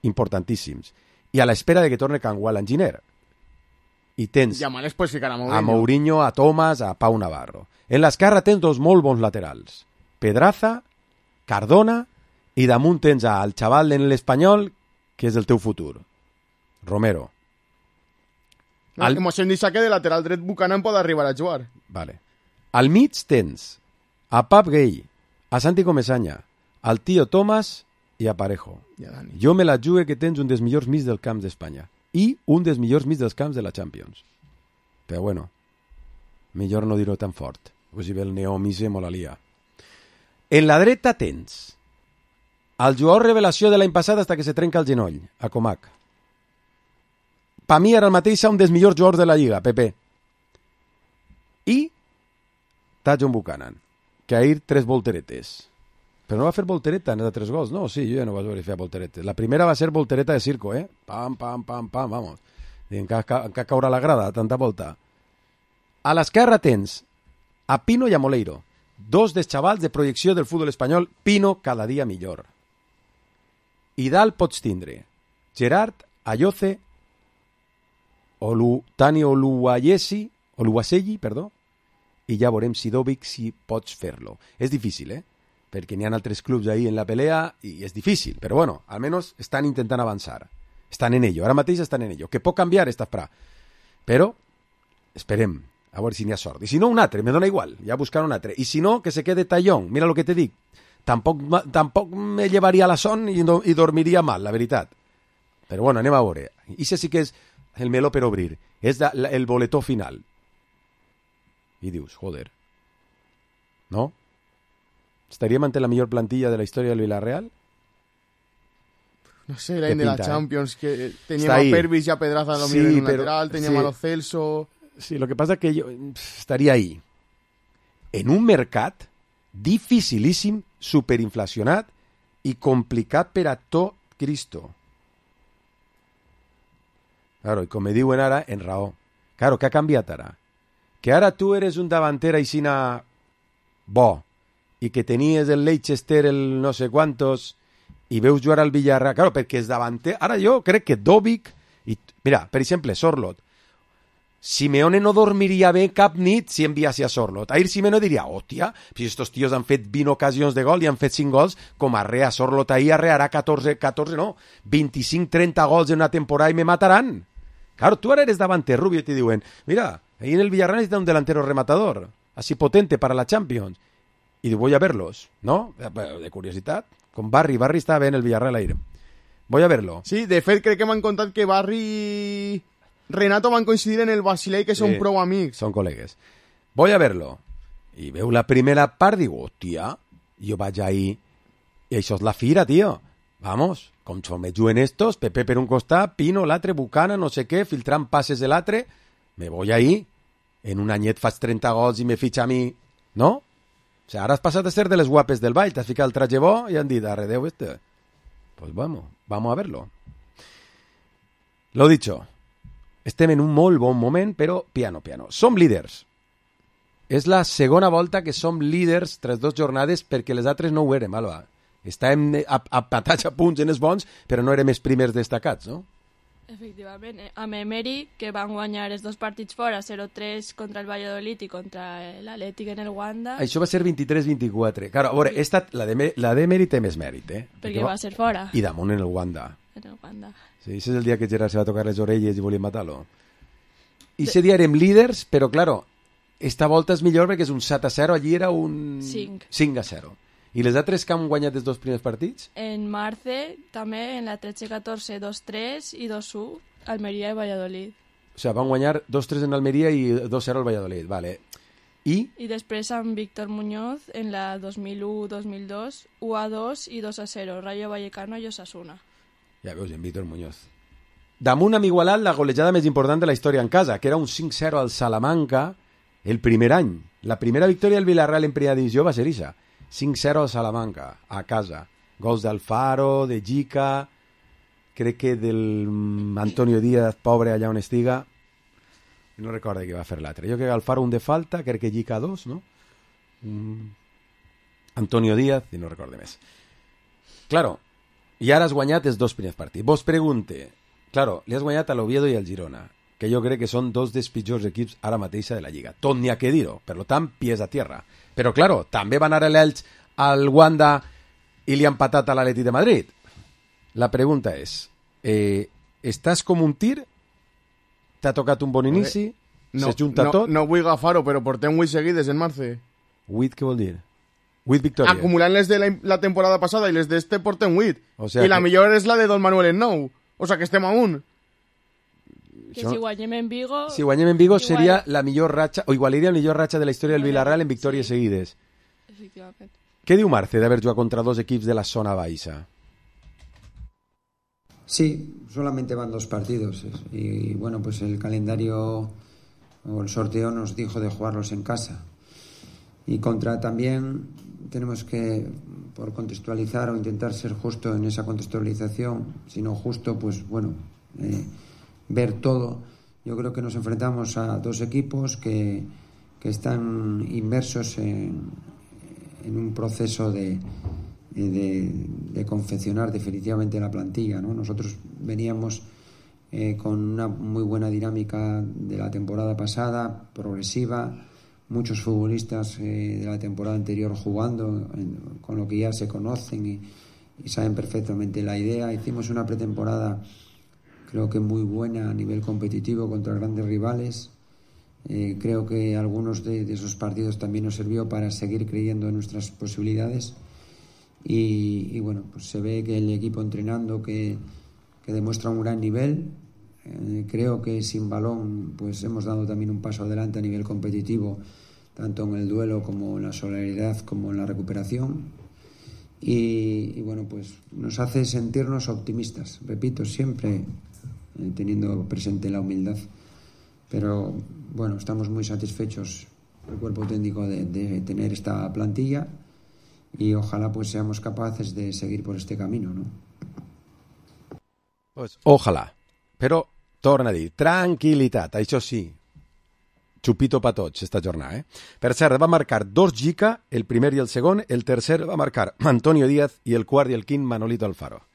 importantíssims. I a l'espera de que torne Cangual Enginyer. I tens a Mourinho, a Thomas, a Pau Navarro. En l'esquerra tens 2 molt bons laterals. Pedraza, Cardona, i damunt tens al xaval en l'Espanyol, que és el teu futur. Romero. Hemos dit que de lateral dret Buchanan pot arribar a jugar. Vale. Al mig tens a Pap Gay, a Santi Comesaña, al tio Thomas i a Parejo. Jo me la jugue que tens un dels millors mig del camp d'Espanya i un dels millors mig dels camps de la Champions. Però bueno, millor no dir-ho tan fort, o si ve el neomise mo la lia. En la dreta tens el jugador revelació de l'any passat hasta que se trenca el genoll, a Comac. Per mi ara mateix un dels millors jugadors de la Lliga, Pepe. I John Buchanan, que ahir 3 volteretes. Però no va fer voltereta en els 3 gols, no? Sí, jo ja no vaig veure fer volteretes. La primera va ser voltereta de circo, ¿eh? Pam, pam, pam, pam, vamos. Encara caurà la grada, tanta volta. A l'esquerra tens a Pino i a Moleiro, 2 dels xavals de projecció del futbol espanyol, Pino cada dia millor. I dalt pots tindre Gerard, Ayoce, Tani Oluwaseyi, perdó, i ja veurem si Dobic si pots fer-lo. És difícil, perquè n'hi ha altres clubs ahí en la pelea i és difícil, però bueno, almenys estan intentant avançar. Estan en ello, ara mateix estan en ello. Que pot canviar esta fra. Però esperem, a veure si n'hi ha sort. I si no, un altre, me dona igual, ja buscar un altre. I si no, que se quede Tallón, mira lo que te dic. Tampoc me llevaria la son i dormiria mal, la veritat. Però bueno, anem a veure. I això sí que és el meló per obrir. És el boletó final. I dius, joder, no? ¿Estaríem ante la millor plantilla de la història del Villarreal? No sé, l'any de la Champions, que teníem a Pervis i a Pedraza en un lateral, teníem a Lo Celso... Sí, lo que pasa es que yo estaría ahí. En un mercat dificilíssim, superinflacionat i complicat per a tot Cristo. Claro, i com me diuen ara, en raó. Claro, què ha canviat ara? Que ara tu eres un davanter aixina bo i que tenies el Leicester, el no sé quantos, i veus jugar al Villarreal. Claro, perquè és davanter... Ara jo crec que Dovic... Mira, per exemple, Sorloth. Simeone no dormiria bé cap nit si enviasse a Sorloth. Ahir Simeone diria, hòstia, si estos tios han fet 20 ocasions de gol i han fet 5 gols, com arrea Sorloth ahir arrearà 25-30 gols en una temporada i me mataran. Claro, tú ahora eres davanter, Rubio, y te diuen, mira, ahí en el Villarreal necesita un delantero rematador, así potente para la Champions. Y voy a verlos, ¿no? De curiosidad. Con Barry estava bé en el Villarreal ahir. Voy a verlo. Sí, de fet crec que m'han contat que Barry i Renato van coincidir en el Basilei, que són prou amics. Són col·legues. Voy a verlo. I veu la primera part, digo, hòstia, jo vaig ahir, i això és la fira, tio. Vamos, com me juguen estos, Pepe per un costat, Pino, l'altre, Bucana, no sé què, filtrant passes de l'altre, me voy ahí, en un anyet faig 30 gols i me fitxa a mi, no? O sea, ara has passat a ser de les guapes del ball, t'has ficat el traje bo i han dit, arredeu este. Pues vamos a verlo. Lo dicho, estem en un molt bon moment, però piano. Som líders. És la segona volta que som líders tras 2 jornades perquè les altres no ho érem, Alba. Estàvem apatats a punts en els bons, però no érem els primers destacats, no? Efectivament, amb Emery, que van guanyar els 2 partits fora, 0-3 contra el Valladolid i contra l'Atlètic en el Wanda. Això va ser 23-24. Claro, a veure, la d'Emery té més mèrit, Perquè va ser fora. I damunt en el Wanda. En el Wanda. Sí, ese és el dia que Gerard se va tocar les orelles i volia matar-lo. I ese dia érem líders, però, claro, esta volta és millor perquè és un 7-0, allí era un 5-0. I les altres que han guanyat els 2 primers partits? En Marce, també, en la 13-14, 2-3 i 2-1, Almeria i Valladolid. O sigui, van guanyar 2-3 en Almeria i 2-0 al Valladolid, vale. I després amb Víctor Muñoz, en la 2001-2002, 1-2 i 2-0, Rayo Vallecano i Osasuna. Ja veus, en Víctor Muñoz. Damunt amb igualat la golejada més important de la història en casa, que era un 5-0 al Salamanca el primer any. La primera victòria del Villarreal en primera divisió va ser ixa. 5-0 al Salamanca, a casa. Gols d'Alfaro, de Jica, crec que del Antonio Díaz, pobre allà on estiga. No recordo qui va fer l'altre. Jo crec que Alfaro un de falta, crec que Jica 2, no? Antonio Díaz, i no recordo més. Claro, i ara has guanyat els 2 primers partits. Vos pregunte, claro, li has guanyat a l'Oviedo i al Girona, que jo crec que són 2 dels pitjors equips ara mateixa de la Lliga. Tot n'hi ha que dir-ho, per tant, pies a tierra. Però, claro, també va anar l'Elx al Wanda i li ha empatat a l'Atleti de Madrid. La pregunta és, estàs com un tir? T'ha tocat un bon inici? S'es junta tot? No vull agafar-ho, però portem 8 seguides en Marce. 8 què vol dir? 8 victòries. Acumulant les de la temporada passada i les d'este portem 8. O sea I la millor és la de Don Manuel en 9. O sea, que estem a 1. Que si guanyem en Vigo... Si guanyem en Vigo seria la millor ratxa, o igualaria la millor ratxa de la història del Villarreal en victòries seguides. Efectivament. Què diu Marce d'haver jugat contra 2 equips de la zona baixa? Sí, solamente van 2 partidos. Y bueno, pues el calendario o el sorteo nos dijo de jugarlos en casa. Y contra también tenemos que, por contextualizar o intentar ser justo en esa contextualización, si no justo, pues bueno... ver todo. Yo creo que nos enfrentamos a 2 equipos que están inmersos en un proceso de confeccionar definitivamente la plantilla, ¿no? Nosotros veníamos con una muy buena dinámica de la temporada pasada, progresiva, muchos futbolistas de la temporada anterior jugando, con lo que ya se conocen y saben perfectamente la idea. Hicimos una pretemporada creo que muy buena a nivel competitivo contra grandes rivales. Creo que algunos de esos partidos también nos sirvió para seguir creyendo en nuestras posibilidades y bueno, pues se ve que el equipo entrenando que demuestra un gran nivel. Creo que sin balón pues hemos dado también un paso adelante a nivel competitivo, tanto en el duelo como en la solidaridad como en la recuperación. Y bueno, pues nos hace sentirnos optimistas, repito, siempre teniendo presente la humildad, pero bueno, estamos muy satisfechos el cuerpo técnico de tener esta plantilla y ojalá pues seamos capaces de seguir por este camino, ¿no? Pues ojalà, però torna a dir, tranquil·litat, això sí, Xupito pa tots, esta jornada. Per cert, va marcar 2 Gica, el primer i el segon, el tercer va marcar Antonio Díaz i el quart i el quint Manolito Alfaro.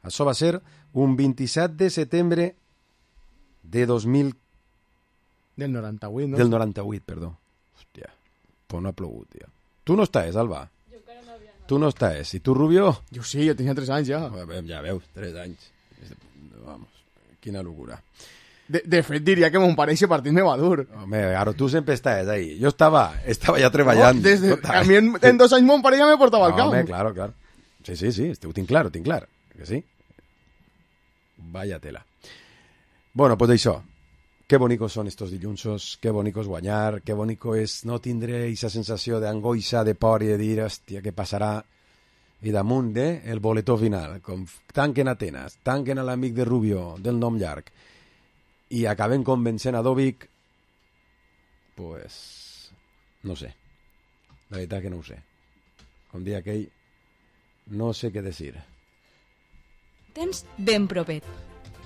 Això va ser un 27 de setembre de 2000... Del 98, no? Del 98, perdó. Hòstia, pues no ha plogut, tio. Tu no estàs, Alba? Jo encara no havia anat. Tu no estàs. I tu, Rubio? Jo sí, jo tenia 3 anys ja. Ja veus, 3 anys. Vamos, quina locura. De fet, diria que mon pare ese partit me va dur. Home, ara tu sempre estaves ahí. Jo estava ja treballant. No, a mi en 2 anys mon pare ja me portava al camp. Home, claro. Sí, ho tinc clar. Que sí? Vaya tela. Bueno, pues això. Qué bonicos son estos dillunsos, qué bonico es guanyar, qué bonico és no tindre esa sensació d'angoixa, de por i de dir, hòstia, què passarà? I damunt, el boletó final, com tanquen Atenas, tanquen a l'amic de Rubio, del nom llarg, i acaben convencent a Dovic, pues, no sé. La veritat que no ho sé. Com dia aquell, no sé què dir. Tens ben propet.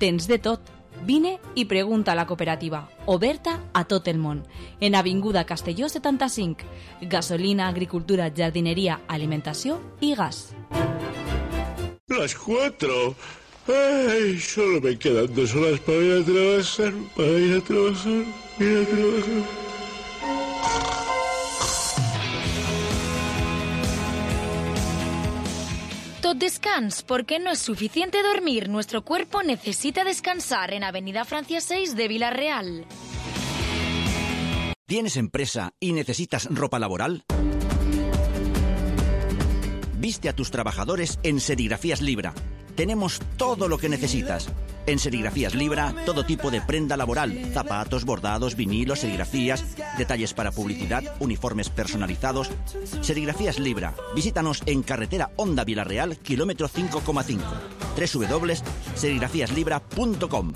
Tens de tot. Vine i pregunta a la cooperativa, oberta a tot el món. En Avinguda Castelló 75. Gasolina, agricultura, jardineria, alimentació i gas. Las 4. Ay, solo me quedan 2 horas para ir a trabajar. Tot descans, porque no es suficiente dormir. Nuestro cuerpo necesita descansar en Avenida Francia 6 de Villarreal. ¿Tienes empresa y necesitas ropa laboral? Viste a tus trabajadores en Serigrafías Libra. Tenemos todo lo que necesitas. En Serigrafías Libra, todo tipo de prenda laboral, zapatos, bordados, vinilos, serigrafías, detalles para publicidad, uniformes personalizados. Serigrafías Libra. Visítanos en carretera Honda Villarreal, kilómetro 5,5. www.serigrafiaslibra.com.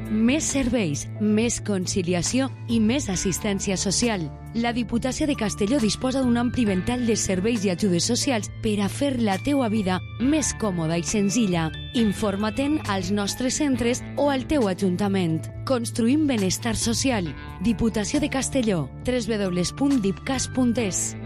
Més serveis, més conciliació i més assistència social. La Diputació de Castelló disposa d'un ampli ventall de serveis i ajudes socials per a fer la teua vida més còmoda i senzilla. Informa-te'n als nostres centres o al teu ajuntament. Construïm benestar social. Diputació de Castelló. www.dipcas.es.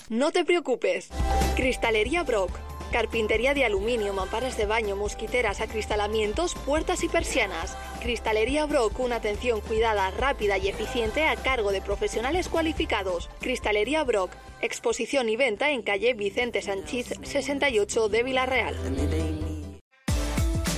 No te preocupes. Cristalería Brock. Carpintería de aluminio, mamparas de baño, mosquiteras, acristalamientos, puertas y persianas. Cristalería Brock, una atención cuidada, rápida y eficiente a cargo de profesionales cualificados. Cristalería Brock, exposición y venta en calle Vicente Sanchís 68 de Villarreal.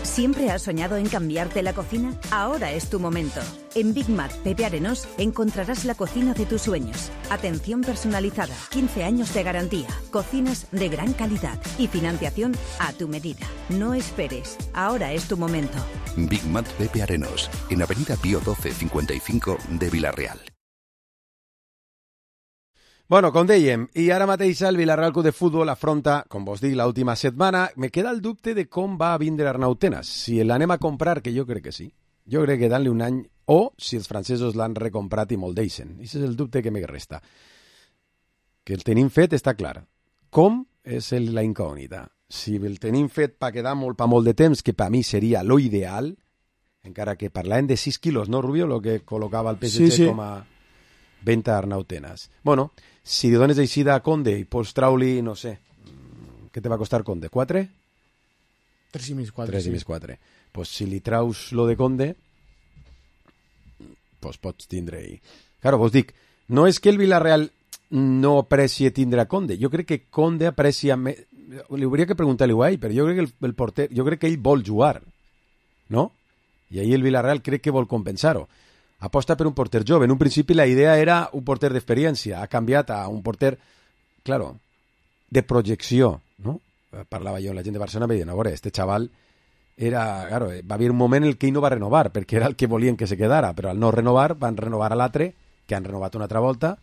¿Siempre has soñado en cambiarte la cocina? Ahora es tu momento. En Big Mat Pepe Arenós encontrarás la cocina de tus sueños. Atención personalizada, 15 años de garantía, cocinas de gran calidad y financiación a tu medida. No esperes, ahora es tu momento. Big Mat Pepe Arenós, en Avenida Pío 12 55 de Villarreal. Bueno, com dèiem, i ara mateix el Villarreal Club de Futbol afronta, com vos dic, l'última setmana. Me queda el dubte de com va vindre Arnau Tenas. Si l'anem a comprar, que jo crec que sí. Jo crec que dan-li un any, o si els francesos l'han recomprat i molt deixen. Aquest és el dubte que me resta. Que el tenim fet està clar. Com és la incògnita. Si el tenim fet per quedar molt de temps, que per mi seria lo ideal, encara que parlàvem de 6 quilos, no, Rubio? Lo que col·locava el PSG sí. Com a venta Arnau Tenas. Bueno, si li dones així a Conde i pots traure-li, no sé, què te va costar Conde? 4? 3 i mig 4. 3 i mig 4. Pues si li traus lo de Conde, pues pots tindre-hi. Claro, vos dic, no és que el Villarreal no aprecie tindre a Conde. Jo crec que Conde aprecia més... Li hauria que preguntar-li a ell, però jo crec que el porter, jo crec que ell vol jugar, no? I ahir el Villarreal crec que vol compensar-ho. Aposta per un porter jove. En un principi la idea era un porter d'experiència. Ha canviat a un porter, claro, de projecció, no? Parlava jo amb la gent de Barcelona i me deien, a veure, este xaval era, claro, va haver un moment en el que ell no va renovar, perquè era el que volien que se quedara, però al no renovar, van renovar a l'altre, que han renovat una altra volta.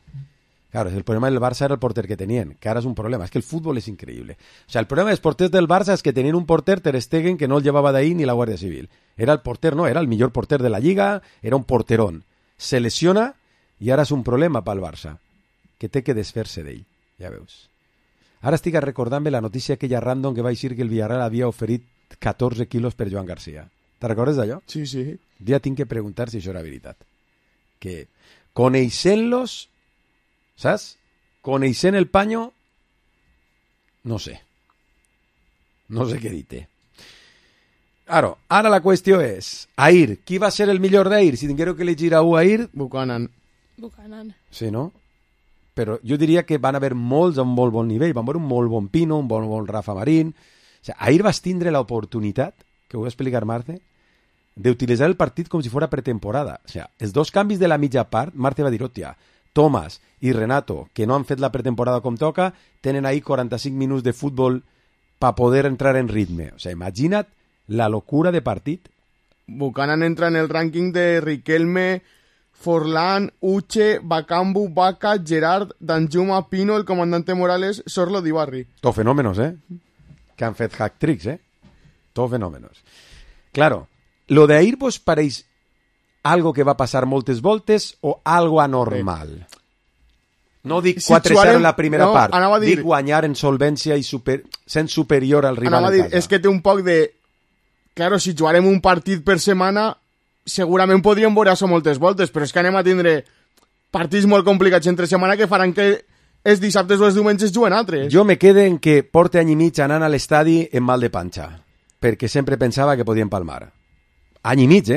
Claro, el problema del Barça era el porter que tenien, que ara és un problema. És que el futbol és increïble. O sea, el problema dels porters del Barça és que tenien un porter, Ter Stegen, que no el llevava d'ahir ni la Guàrdia Civil. Era el porter, no, era el millor porter de la Lliga, era un porterón. Se lesiona i ara és un problema pel Barça, que té que desfer-se d'ell, ja veus. Ara estic recordant-me la notícia aquella random que va dir que el Villarreal havia oferit 14 quilos per Joan García. Te recordes d'allò? Sí, sí. Ja tinc que preguntar si això era veritat. Que coneixent-los, saps? Coneixent el panyo, no sé. No sé què dir-te. Ara la qüestió és, Ahir, qui va ser el millor d'Ahir? Si tinguéreu que elegir a un Ahir... Buchanan. Sí, no? Però jo diria que van haver molts a un molt bon nivell. Van veure un molt bon Pino, un bon Rafa Marín. O sigui, Ahir vas tindre l'oportunitat, que ho va explicar Marce, d'utilitzar el partit com si fos pretemporada. O sigui, els dos canvis de la mitja part, Marce va dir, hòstia, Tomàs i Renato, que no han fet la pretemporada com toca, tenen ahí 45 minuts de futbol per poder entrar en ritme. O sigui, imagina't la locura de partit. Buchanan entra en el rànquing de Riquelme, Forlán, Uche, Bakambu, Vaca, Gerard, Danjuma, Pino, el comandante Morales, Sorlo, Dibarri. Tot fenòmenos, que han fet hack-tricks, Tot fenòmenos. Claro, lo de Ahir vos pareix algo que va passar moltes voltes o algo anormal? No dic 4-0 en la primera part, dic guanyar en solvència i sent superior al rival en casa. És que té un poc de... Claro, si jugarem un partit per setmana, segurament podríem veure això moltes voltes, però és que anem a tindre partits molt complicats entre setmana que faran que els dissabtes o els diumenges juguen altres. Jo me quedo en que porte any i mig anant a l'estadi en mal de panxa, perquè sempre pensava que podien palmar. Any i mig,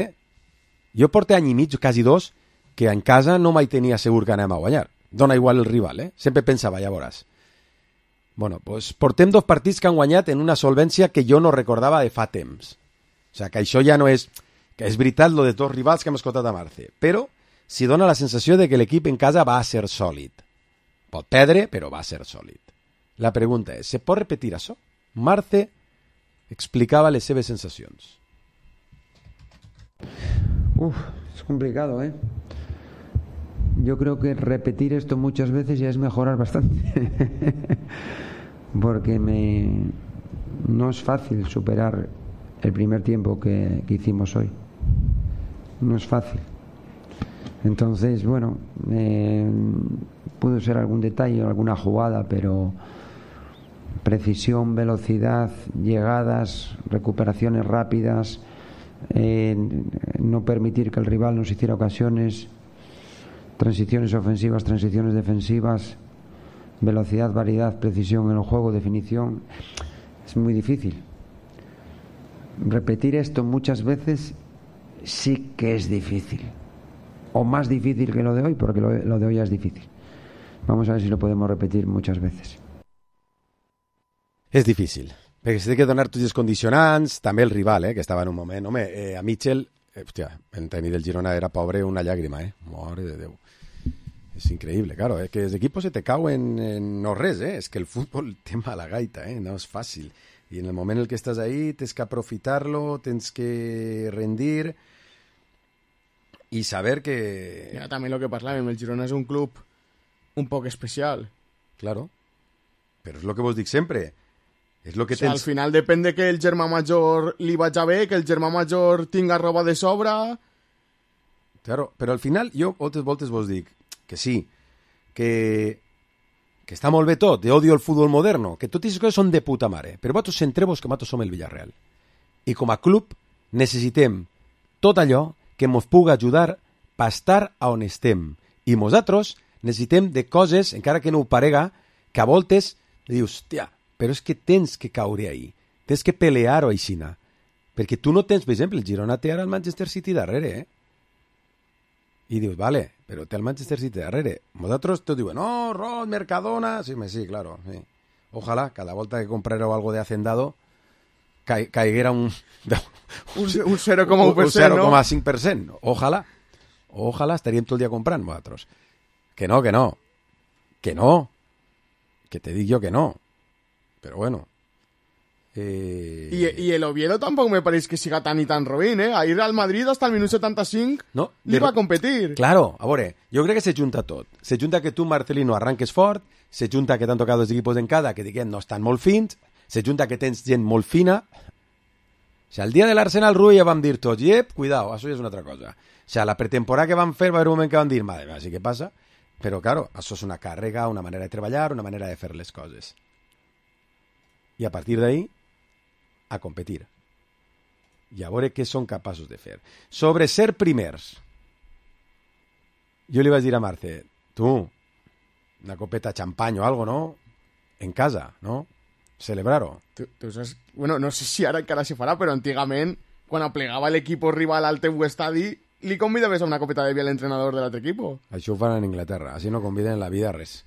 Jo porto any i mig, quasi 2, que en casa no mai tenia segur que anem a guanyar. Dona igual el rival, Sempre pensava, ja veuràs. Bueno, pues portem 2 partits que han guanyat en una solvència que jo no recordava de fa temps. O sigui, que això ja no és... Que és veritat lo de 2 rivals que hem escoltat a Marce, però si dona la sensació de que l'equip en casa va ser sòlid. Pot perdre, però va ser sòlid. La pregunta és, se pot repetir això? Marce explicava les seves sensacions. Es complicado, Yo creo que repetir esto muchas veces ya es mejorar bastante. Porque no es fácil superar el primer tiempo que hicimos hoy. No es fácil. Entonces, bueno, pudo ser algún detalle o alguna jugada, pero precisión, velocidad, llegadas, recuperaciones rápidas, no permitir que el rival nos hiciera ocasiones, transiciones ofensivas, transiciones defensivas, velocidad, variedad, precisión en el juego, definición. Es muy difícil. Repetir esto muchas veces sí que es difícil, o más difícil que lo de hoy, porque lo de hoy es difícil. Vamos a ver si lo podemos repetir muchas veces. És difícil, perquè s'ha de donar tots els condicionants, també el rival, que estava en un moment... Home, a Mitchell, hòstia, el tècnic del Girona era pobre una llàgrima, Mare de Déu. És increïble, claro, que els equipos se te cauen en no res, és que el futbol té mala gaita, no és fàcil. I en el moment en el que estàs ahí tens que aprofitar-lo, tens que rendir i saber que... Ja, també el que parlàvem, el Girona és un club un poc especial. Claro, però és el que vos dic sempre. És lo que al final depèn de que el germà major li vagi bé, que el germà major tinga roba de sobre... Claro, però al final jo moltes voltes vos dic que sí, que està molt bé tot, odio el futbol moderno, que totes aquestes coses són de puta mare, però vosaltres centreu-vos que nosaltres som el Villarreal. I com a club necessitem tot allò que ens pugui ajudar per estar on estem. I nosaltres necessitem de coses, encara que no ho parega, que a voltes dius, tia, però és que tens que caure ahí, tens que pelear-ho aixina, perquè tu no tens, per exemple, el Girona té ara el Manchester City darrere, I dius, vale, però té el Manchester City darrere. Vosaltres te diuen, no, Rod, Mercadona... Sí, claro, sí. Ojalá, cada volta que comprareu algo de Hacendado caiguera un 0,1%, un 0,5%, ¿no? Ojalá estaríem tot el dia comprant vosaltres. Que no, que te dic jo que no, però bueno. Y el Oviedo tampoco me parece que siga tan y tan robín, A ir al Madrid hasta el minuto 75 no, li va a competir. Claro, a veure, jo crec que se junta tot. Se junta que tu, Marcelino, arranques fort, se junta que t'han tocat els equipos en cada, que diguem no estan molt fins, se junta que tens gent molt fina. O sigui, el dia de l'Arsenal Rui ja vam dir tots, cuidao, això ja és una altra cosa. O sigui, la pretemporada que vam fer va haver un moment que vam dir, madre mía, sí que passa, però claro, això és una càrrega, una manera de treballar, una manera de fer les coses. I a partir d'ahí, a competir. i a veure què són capaços de fer. Sobre ser primers, jo li vaig dir a Marce, tu, una copeta de xampany o algo, no? En casa, no? Celebrar-ho. Tu saps... Bueno, no sé si ara encara se farà, però antigament, quan aplegava l'equip rival al teu estadi, li convidaves a una copeta de vi a l'entrenador de l'altre equip. Això ho fan en Inglaterra, així no conviden en la vida res.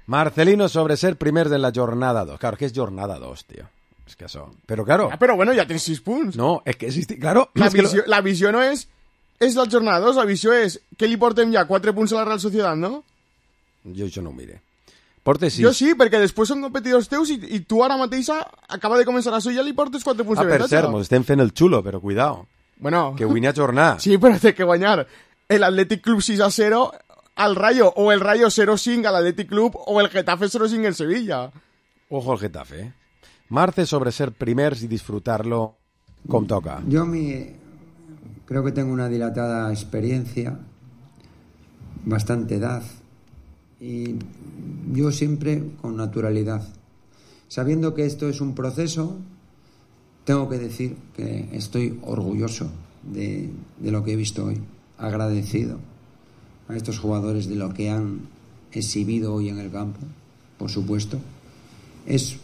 Marcelino sobre ser primers en la jornada 2. Claro, que és jornada 2, tio. És que això... Però, claro... Ah, però bueno, ja tens 6 punts. No, és que... Claro... La visió no és la jornada 2, la visió és que li portem ja 4 punts a la Real Sociedad, no? Jo això no ho mire. Portes 6. Jo sí, perquè després són competidors teus i tu ara mateixa acaba de començar això i ja li portes 4 punts de per cert, mos estem fent el xulo, però cuidao. Bueno... Que guanya jornada. Sí, però té que guanyar el Athletic Club 6-0 al Rayo, o el Rayo 0-5 al Athletic Club, o el Getafe 0-5 en Sevilla. Ojo al Getafe, ¿eh? Marce sobre ser primers y disfrutarlo como toca. Yo creo que tengo una dilatada experiencia, bastante edad, y yo siempre con naturalidad. Sabiendo que esto es un proceso, tengo que decir que estoy orgulloso de lo que he visto hoy, agradecido a estos jugadores de lo que han exhibido hoy en el campo, por supuesto. Es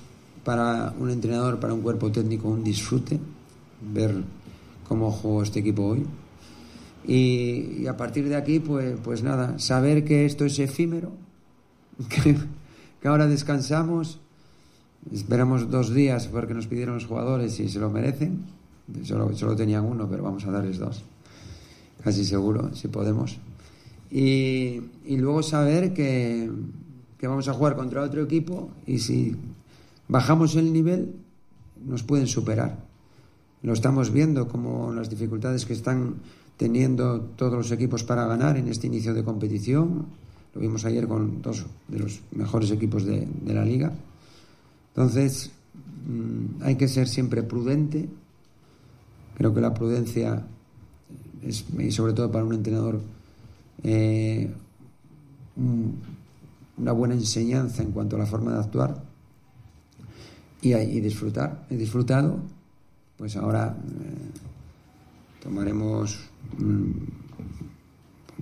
para un entrenador, para un cuerpo técnico, un disfrute ver cómo jugó este equipo hoy. Y a partir de aquí, pues nada, saber que esto es efímero, que ahora descansamos, esperamos 2 días porque nos pidieron los jugadores y se lo merecen. Solo tenían 1, pero vamos a darles 2, casi seguro, si podemos. Y luego saber que vamos a jugar contra otro equipo y si bajamos el nivel nos pueden superar. Lo estamos viendo como las dificultades que están teniendo todos los equipos para ganar en este inicio de competición. Lo vimos ayer con 2 de los mejores equipos de la liga. Entonces hay que ser siempre prudente. Creo que la prudencia es, y sobre todo para un entrenador, una buena enseñanza en cuanto a la forma de actuar y disfrutar. He disfrutado, pues ahora tomaremos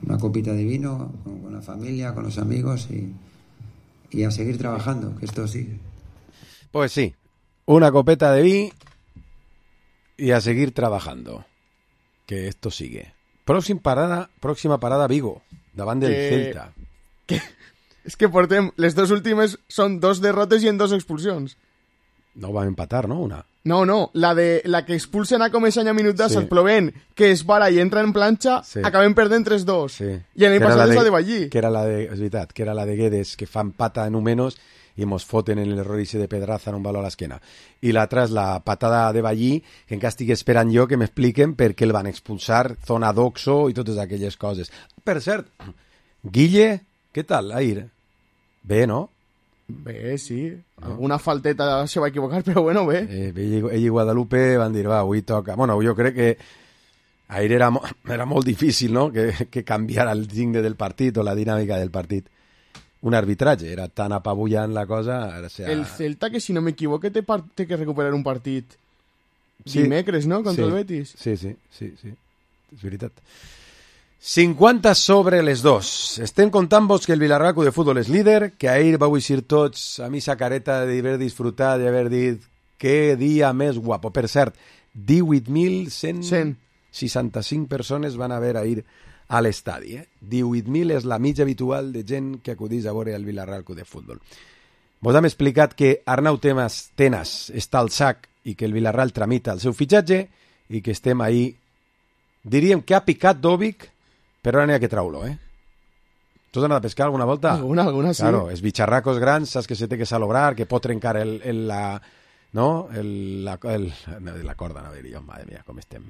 una copita de vino con la familia, con los amigos y a seguir trabajando, que esto sigue. Pues sí, una copeta de vino y a seguir trabajando, que esto sigue. Próxima parada Vigo, davant del Celta. És que portem, les 2 últimes són 2 derrotes i en 2 expulsions. No van empatar, ¿no? Una. No, la que expulsen a Comesaña minut d'Assas, plovent, que es para i entra en planxa, acabem perdent 3-2. Sí. I l'any passat és la de Ballí. Que era és veritat, que era la de Guedes, que fan pata en un menos i mos foten en l'error ese de Pedraza en un valor a l'esquena. I l'altra és la patada de Ballí, que encara estic esperant jo que m'expliquen per què el van expulsar, zona d'Oxo i totes aquelles coses. Per cert, Guille, què tal, Air? Bé, no? Bé, sí. Alguna falteta se va equivocar, però bueno, bé. Ell i Guadalupe van dir, va, avui toca. Bueno, jo crec que Air era molt difícil, no?, que canviara el signe del partit o la dinàmica del partit. Un arbitratge, era tan apabullant la cosa... El Celta, que si no m'equivoque, té que recuperar un partit dimecres, no?, contra el Betis. Sí, és veritat. 50 sobre les 2. Estem contant-vos que el Villarreal Club de Futbol és líder, que ahir vau eixir tots a mi sa careta d'haver disfrutat i haver dit que dia més guapo. Per cert, 18.165 persones van haver ahir a l'estadi. 18.000 és la mitja habitual de gent que acudís a veure el Villarreal Club de Futbol. Vos hem explicat que Arnau Tenas està al sac i que el Villarreal tramita el seu fitxatge i que estem ahí. Diríem que ha picat Dovic, però ara n'hi ha que trau-lo, Tu has anat a pescar alguna volta? Alguna sí. Claro, els bitxarracos grans, saps que se té que salobrar, que pot trencar la corda, no diria jo, madre mía, com estem.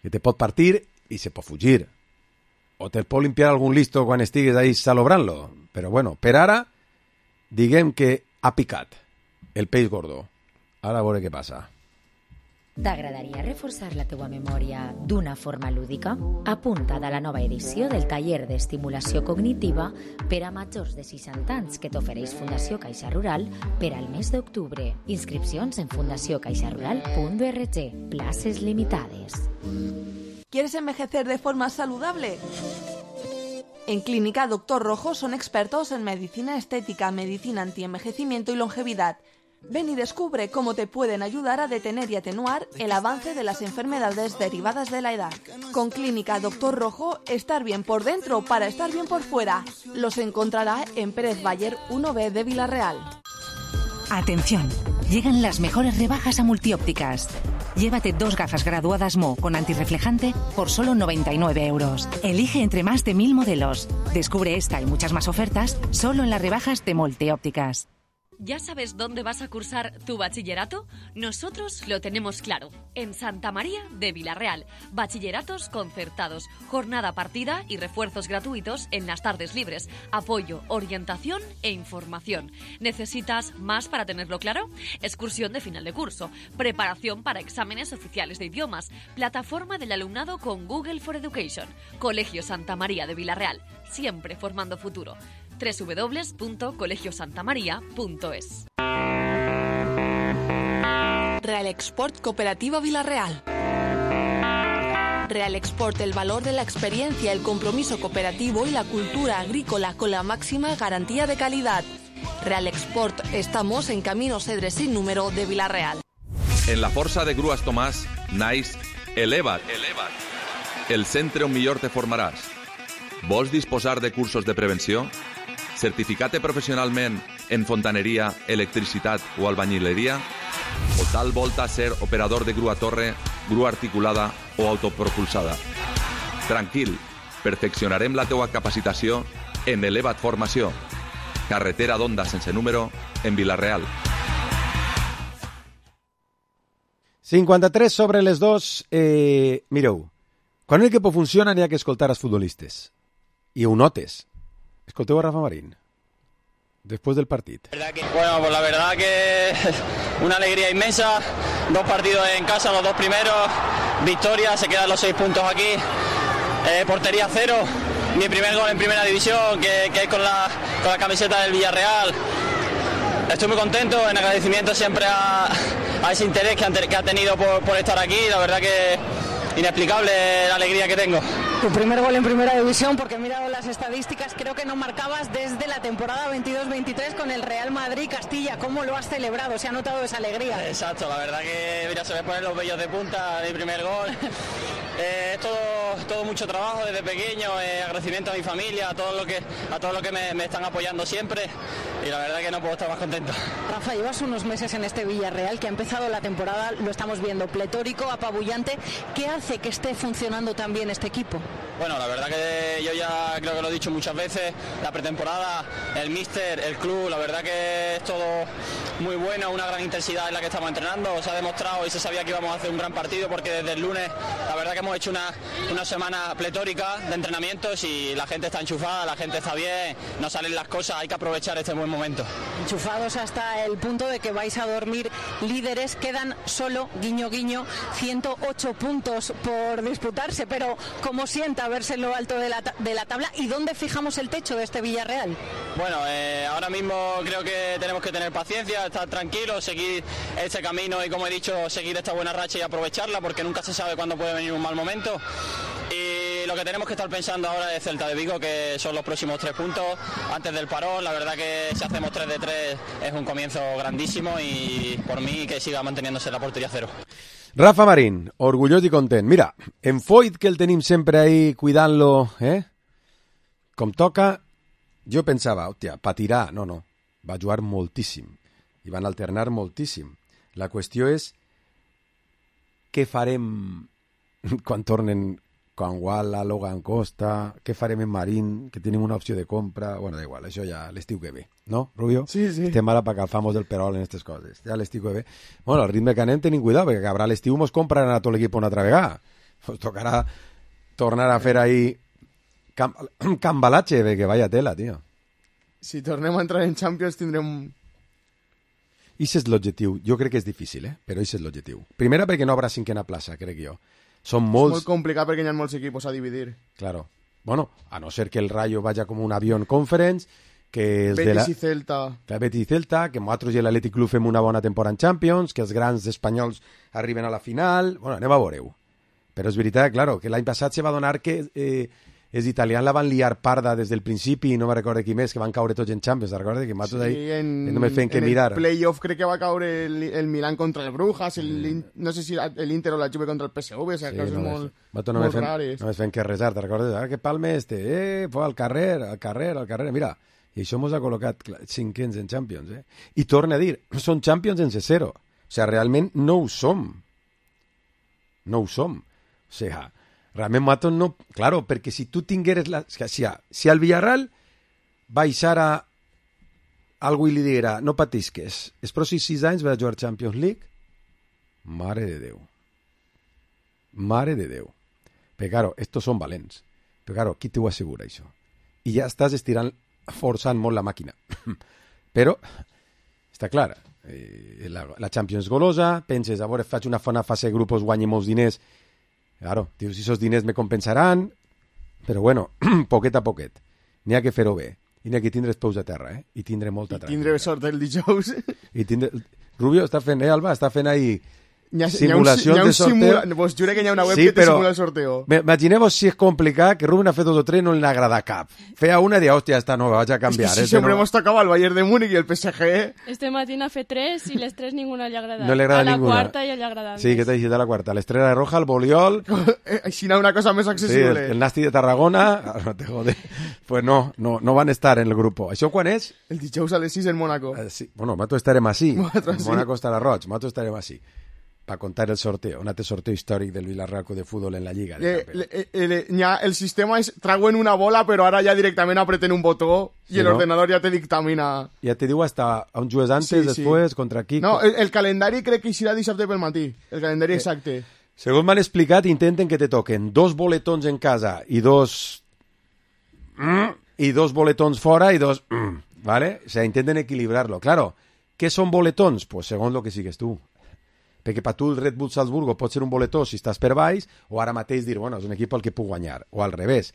Que te pot partir i se pot fugir. O te pot limpiar algun listo quan estigues ahí salobrant-lo. Però bueno, per ara, diguem que ha picat el peix gordo. Ara a veure què passa. T'agradaria reforçar la teua memòria d'una forma lúdica? Apunta't a la nova edició del taller d'estimulació cognitiva per a majors de 60 anys que t'ofereix Fundació Caixa Rural per al mes d'octubre. Inscripcions en fundaciocaixarural.org. Places limitades. ¿Quieres envejecer de forma saludable? En Clínica Doctor Rojo son expertos en medicina estética, medicina antienvejecimiento y longevidad. Ven y descubre cómo te pueden ayudar a detener y atenuar el avance de las enfermedades derivadas de la edad. Con Clínica Doctor Rojo, estar bien por dentro para estar bien por fuera. Los encontrará en Pérez Bayer 1B de Villarreal. Atención, llegan las mejores rebajas a Multiópticas. Llévate 2 gafas graduadas Mo con antirreflejante por solo 99 euros. Elige entre más de 1000 modelos. Descubre esta y muchas más ofertas solo en las rebajas de Multiópticas. ¿Ya sabes dónde vas a cursar tu bachillerato? Nosotros lo tenemos claro. En Santa María de Villarreal. Bachilleratos concertados, jornada partida y refuerzos gratuitos en las tardes libres. Apoyo, orientación e información. ¿Necesitas más para tenerlo claro? Excursión de final de curso. Preparación para exámenes oficiales de idiomas. Plataforma del alumnado con Google for Education. Colegio Santa María de Villarreal. Siempre formando futuro. www.colegiosantamaria.es. Real Export Cooperativa Villarreal. Real Export, el valor de la experiencia, el compromiso cooperativo y la cultura agrícola con la máxima garantía de calidad. Real Export, estamos en Camino Cedre sin número de Villarreal. En la Força de Grues Tomàs naix Eleva't. El centre on millor te formaràs. Vols disposar de cursos de prevenció? Certificate professionalment en fontaneria, electricitat o albañileria? O tal volta ser operador de grua torre, grua articulada o autopropulsada? Tranquil, perfeccionarem la teua capacitació en Eleva't Formació. Carretera d'Onda sense número en Villarreal. 53 sobre les 2. Mireu, quan el equipo funciona n'hi ha que escoltar als futbolistes. I ho notes. Escolteu a Rafa Marín después del partido. Bueno, pues la verdad que una alegría inmensa. 2 partidos en casa, los 2 primeros. Victoria, se quedan los 6 puntos aquí. Portería 0. Mi primer gol en primera división, que es con la camiseta del Villarreal. Estoy muy contento, en agradecimiento siempre a ese interés que ha tenido por estar aquí. La verdad que inexplicable la alegría que tengo. Tu primer gol en primera división, porque he mirado las estadísticas, creo que no marcabas desde la temporada 22-23 con el Real Madrid Castilla. ¿Cómo lo has celebrado? ¿Se ha notado esa alegría? Exacto, la verdad que mira, se me ponen los vellos de punta de mi primer gol. Es todo mucho trabajo desde pequeño, agradecimiento a mi familia, a todo lo que me están apoyando siempre, y la verdad que no puedo estar más contento. Rafa, llevas unos meses en este Villarreal que ha empezado la temporada, lo estamos viendo, pletórico, apabullante. ¿Qué hace que esté funcionando tan bien este equipo? Bueno, la verdad que yo ya creo que lo he dicho muchas veces, la pretemporada, el míster, el club, la verdad que es todo muy bueno, una gran intensidad en la que estamos entrenando, se ha demostrado y se sabía que íbamos a hacer un gran partido, porque desde el lunes la verdad que hemos hecho una semana pletórica de entrenamientos y la gente está enchufada, la gente está bien, no salen las cosas, hay que aprovechar este buen momento. Enchufados hasta el punto de que vais a dormir líderes, quedan solo, guiño guiño, 108 puntos por disputarse, pero ¿cómo sienta verse en lo alto de la tabla? ¿Y dónde fijamos el techo de este Villarreal? Bueno, ahora mismo creo que tenemos que tener paciencia, estar tranquilos, seguir este camino y, como he dicho, seguir esta buena racha y aprovecharla, porque nunca se sabe cuándo puede venir un mal momento. Y lo que tenemos que estar pensando ahora es Celta de Vigo, que son los próximos 3 puntos antes del parón. La verdad que si hacemos 3 de 3 es un comienzo grandísimo, y por mí que siga manteniéndose la portería 0. Rafa Marín, orgullós i content. Mira, en Foyt, que el tenim sempre ahí cuidant-lo, com toca, jo pensava, hòstia, patirà. No, va jugar moltíssim i van alternar moltíssim. La qüestió és què farem quan tornen Guala, Logan Costa, què farem en Marín, que tenim una opció de compra. Bueno, da igual, això ja l'estiu que ve, no, Rubio? Sí. Estem ara per calfar-nos del perol en aquestes coses. Ja l'estiu que ve. Bueno, al ritme que anem tenim cuidado, perquè acabarà l'estiu mos compraran a tot l'equip una altra vegada. Pues tocarà tornar a fer ahí cambalache, que vaya tela, tío. Si tornem a entrar en Champions tindrem... Ix és l'objectiu. Jo crec que és difícil, però ix és l'objectiu. Primera perquè no haurà cinquena plaça, crec jo. Són molts... És molt complicat perquè hi ha molts equipos a dividir. Claro. Bueno, a no ser que el Rayo vaya como un avión conference, que els Betis i Celta. Betis i Celta, que nosaltres i l'Atlètic Club fem una bona temporada en Champions, que els grans espanyols arriben a la final... Bueno, anem a veure-ho. Però és veritat, claro, que l'any passat se va donar que els italians la van liar parda des del principi i no me recordo qui més, que van caure tots en Champions, recorda? Que nosaltres ahí no me feien que mirar. En el playoff crec que va caure el Milan contra el Brujas, no sé si l'Inter o la Juve contra el PSV, o sigui, coses molt rares. No me feien que resar, te recordes? Ara que palme fue al carrer, mira, i això ens ha col·locat cinquens en Champions, I torna a dir, són Champions en C0, o sigui, realment no ho som. No ho som. O sigui, realment nosaltres no... Claro, perquè si tu tingueres... Si el Villarreal baixar a algú i li diguera no patisques, els pròxims 6 anys va a jugar Champions League, mare de Déu. Mare de Déu. Però, claro, estos són valents. Però, claro, qui t'ho assegura, això? I ja estàs forçant molt la màquina. Però, està clar, la Champions golosa, penses, a veure, faig una fase de grupos, guanyi molts diners. Claro, dius, esos diners me compensaran, però bueno, poquet a poquet. N'hi ha que fer-ho bé. I n'hi ha que tindre els peus a terra, I tindre molta tranquil·litat. I tindre sort el dijous. Rubio està fent, Alba, està fent ahí simulacions de sorteo. Vos jure que hi ha una web que te simula el sorteo. Imagineu-vos si és complicat, que Rubén ha fet 2 o 3 no li agrada cap. Feia una i dia, hòstia, esta no, vaig a canviar. És que sempre hemos tocado al Bayern de Múnich i el PSG. Este matí ha fet 3 i les 3 ninguna li ha agradat. No li agrada ninguna. A la quarta ja li ha agradat. Sí, que t'ha dit a la quarta. L'Estrella Roja, el Boliol... Així una cosa més accessible. Sí, el Nasti de Tarragona... No te jode. Pues no van estar en el grupo. Això quan és? El dijous a les 6 en Mónaco. Sí. Bueno, nosaltres estarem així. En Mónaco estarà roig. Nosaltres estarem així. Para contar el sorteo, un altre sorteo històric del Villarreal de Fútbol en la Lliga. El sistema és trauen una bola, però ara ja directament apreten un botó i l'ordenador ja te dictamina. Ja te diu hasta on jugues antes, després, contra qui... No, el calendari crec que serà dissabte pel matí, el calendari exacte. Segons m'han explicat, intenten que te toquen 2 boletons en casa i 2 boletons fora i 2... ¿Vale? O sea, intenten equilibrarlo. Claro, ¿qué son boletons? Pues segons lo que sigues tu. Perquè per tu el Red Bull Salzburgo pot ser un boletó si estàs per baix, o ara mateix dir, bueno, és un equip al que puc guanyar, o al revés.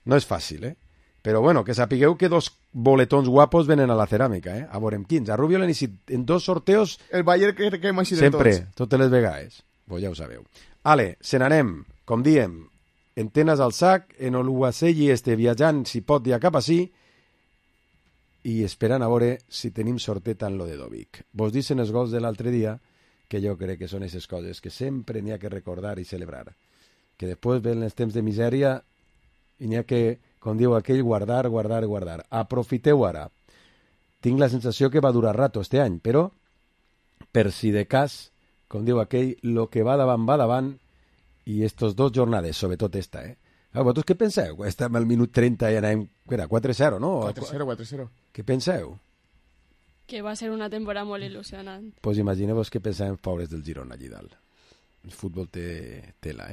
No és fàcil, Però bueno, que sapigueu que 2 boletons guapos venen a la ceràmica, A veurem quins. A Rubio l'han iniciat en 2 sorteos... El Bayern que m'ha així de sempre, totes les vegades. Pues ja ho sabeu. Ale, se n'anem, com diem, entenes al sac, en Oluwaseyi viatjant, si pot, ja cap així, i esperant a veure si tenim sortet en lo de Dovic. Vos dicen els gols de l'altre dia, que jo crec que són aquestes coses que sempre n'hi ha que recordar i celebrar. Que després ven els temps de misèria i n'hi ha que, com diu aquell, guardar. Aprofiteu ara. Tinc la sensació que va durar rato este any, però per si de cas, com diu aquell, lo que va davant, i estos 2 jornades, sobretot esta, Vosaltres què penseu? Estem al minut 30 i anem, 4-0, no? 4-0. Què penseu? Que va ser una temporada molt il·lusionant. Pues imagineu-vos que pensàvem pobres del Girona allí dalt. El futbol té tela,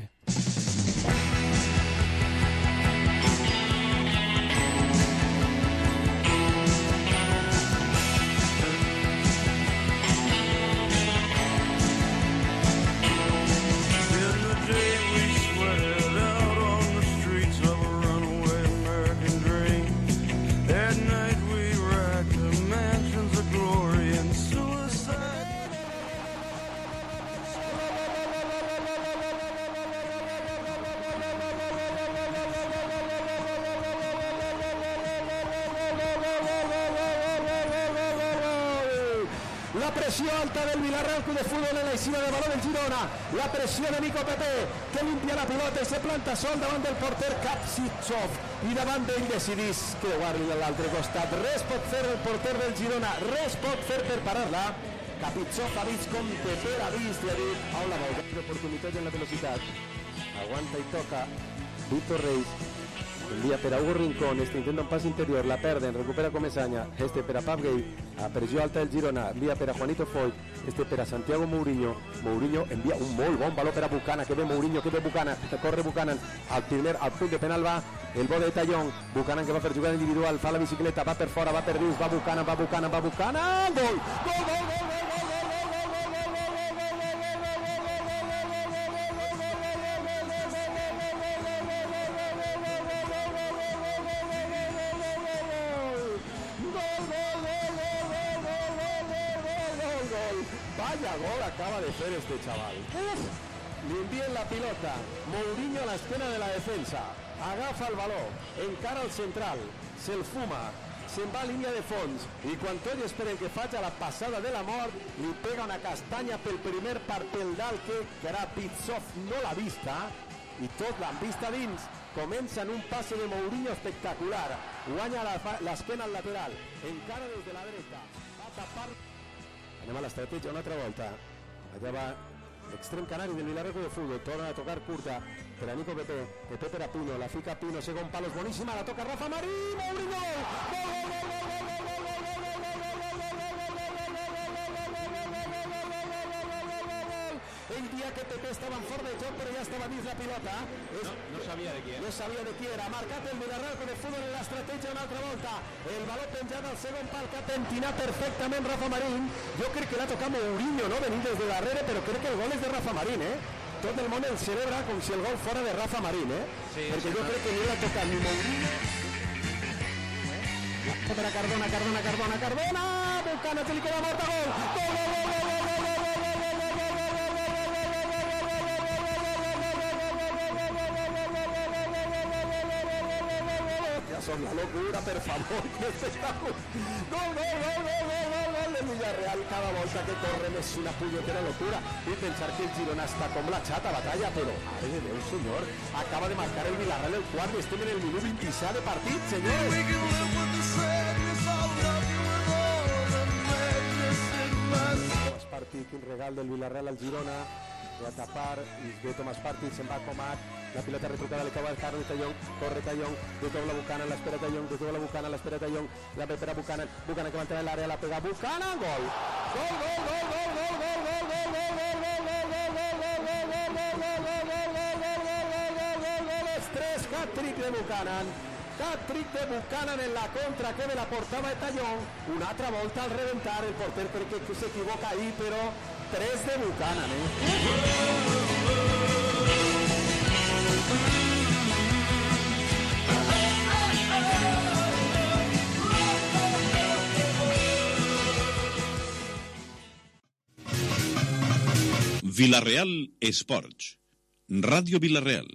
La presión alta del Villarreal Club de Fútbol en la isla de balón del Girona. La presión de Nico Pepe, que limpia la pilota i se planta sol davant del porter Kapsitsov. I davant d'ell decidís creuar-li a l'altre costat. Res pot fer el porter del Girona, res pot fer per parar-la. Kapsitsov ha vist com Pepe ha vist i ha dit on la vol. Oportunitat en la velocitat. Aguanta i toca Víctor Reis. Envia per a Hugo Rincón, intenta un pas interior, la perden, recupera Comesaña, per a Pap Gay, a pressió alta del Girona, envia per a Juanito Foy, per a Santiago Mourinho envia un molt bon valor per a Buchanan, que ve Mourinho, que ve Buchanan, corre Buchanan, al punt de penal va el bo de Tallón, Buchanan que va per jugar individual, fa la bicicleta, va per fora, va per dins, va Buchanan, gol! Vaya gol acaba de hacer este chaval. Le envíen la pilota. Mourinho a la esquena de la defensa. Agafa el baló. Encara el central. Se'l fuma. Se'n va a línia de fons. I quan tots esperen que faci la passada de la mort, li pega una castanya pel primer pel dalt que era Pitsov, no l'ha vista. I tot l'han vista dins. Comença en un passe de Mourinho espectacular. Guanya l'esquena al lateral. Encara des de la dreta. Va a tapar. Anem a l'estratègia una altra volta. Allà va l'extrem canari del Villarreal de Futbol. Torna a tocar curta per a Nico Pepe. Pepe per a Pino. La fica Pino. Segon palo. És boníssima. La toca Rafa Marín. Mourinho. El día que Pepe estaba en forma de joc, pero ya estaba dins la pilota. No sabia de qui era. No sabia de qui era. Marcat el Villarreal de Futbol en l'estratègia una altra volta. El baló penjat al segon pal que ha pentinat perfectament Rafa Marín. Jo crec que l'ha tocat Mourinho, no? Venint des de darrere, però crec que el gol és de Rafa Marín, Tot el món el celebra com si el gol fora de Rafa Marín, Sí, perquè jo crec que ni l'ha tocat ni Mourinho. Per a Cardona. Bucana, se li queda morta, gol. Son la locura, per favor. Gol del Villarreal. Cada volta que corren és una punyetera locura. I pensar que el Girona està com la xata batalla, però, mare de Déu, senyor, acaba de marcar el Villarreal el quart i estem en el minut 27 de partit, senyors. Tomàs Partí, quin regal del Villarreal al Girona. Va a tapar, i ve Tomàs Partí, se'n va a Comat. La pilota retrucada, le acaba de Carlos Tallón, corre Tallón, de todo la Buchanan, la espera Tallón, de todo la Buchanan, la espera Tallón, la prepara Buchanan, Buchanan que va a entrar en el área, la pega Buchanan, gol. Hat-trick de Buchanan. Hat-trick de Buchanan en la contra que me la portava de Tallón. Una altra volta al reventar el porter perquè s'equivoca ahí, però 3 de Buchanan, Villarreal Esports. Ràdio Villarreal.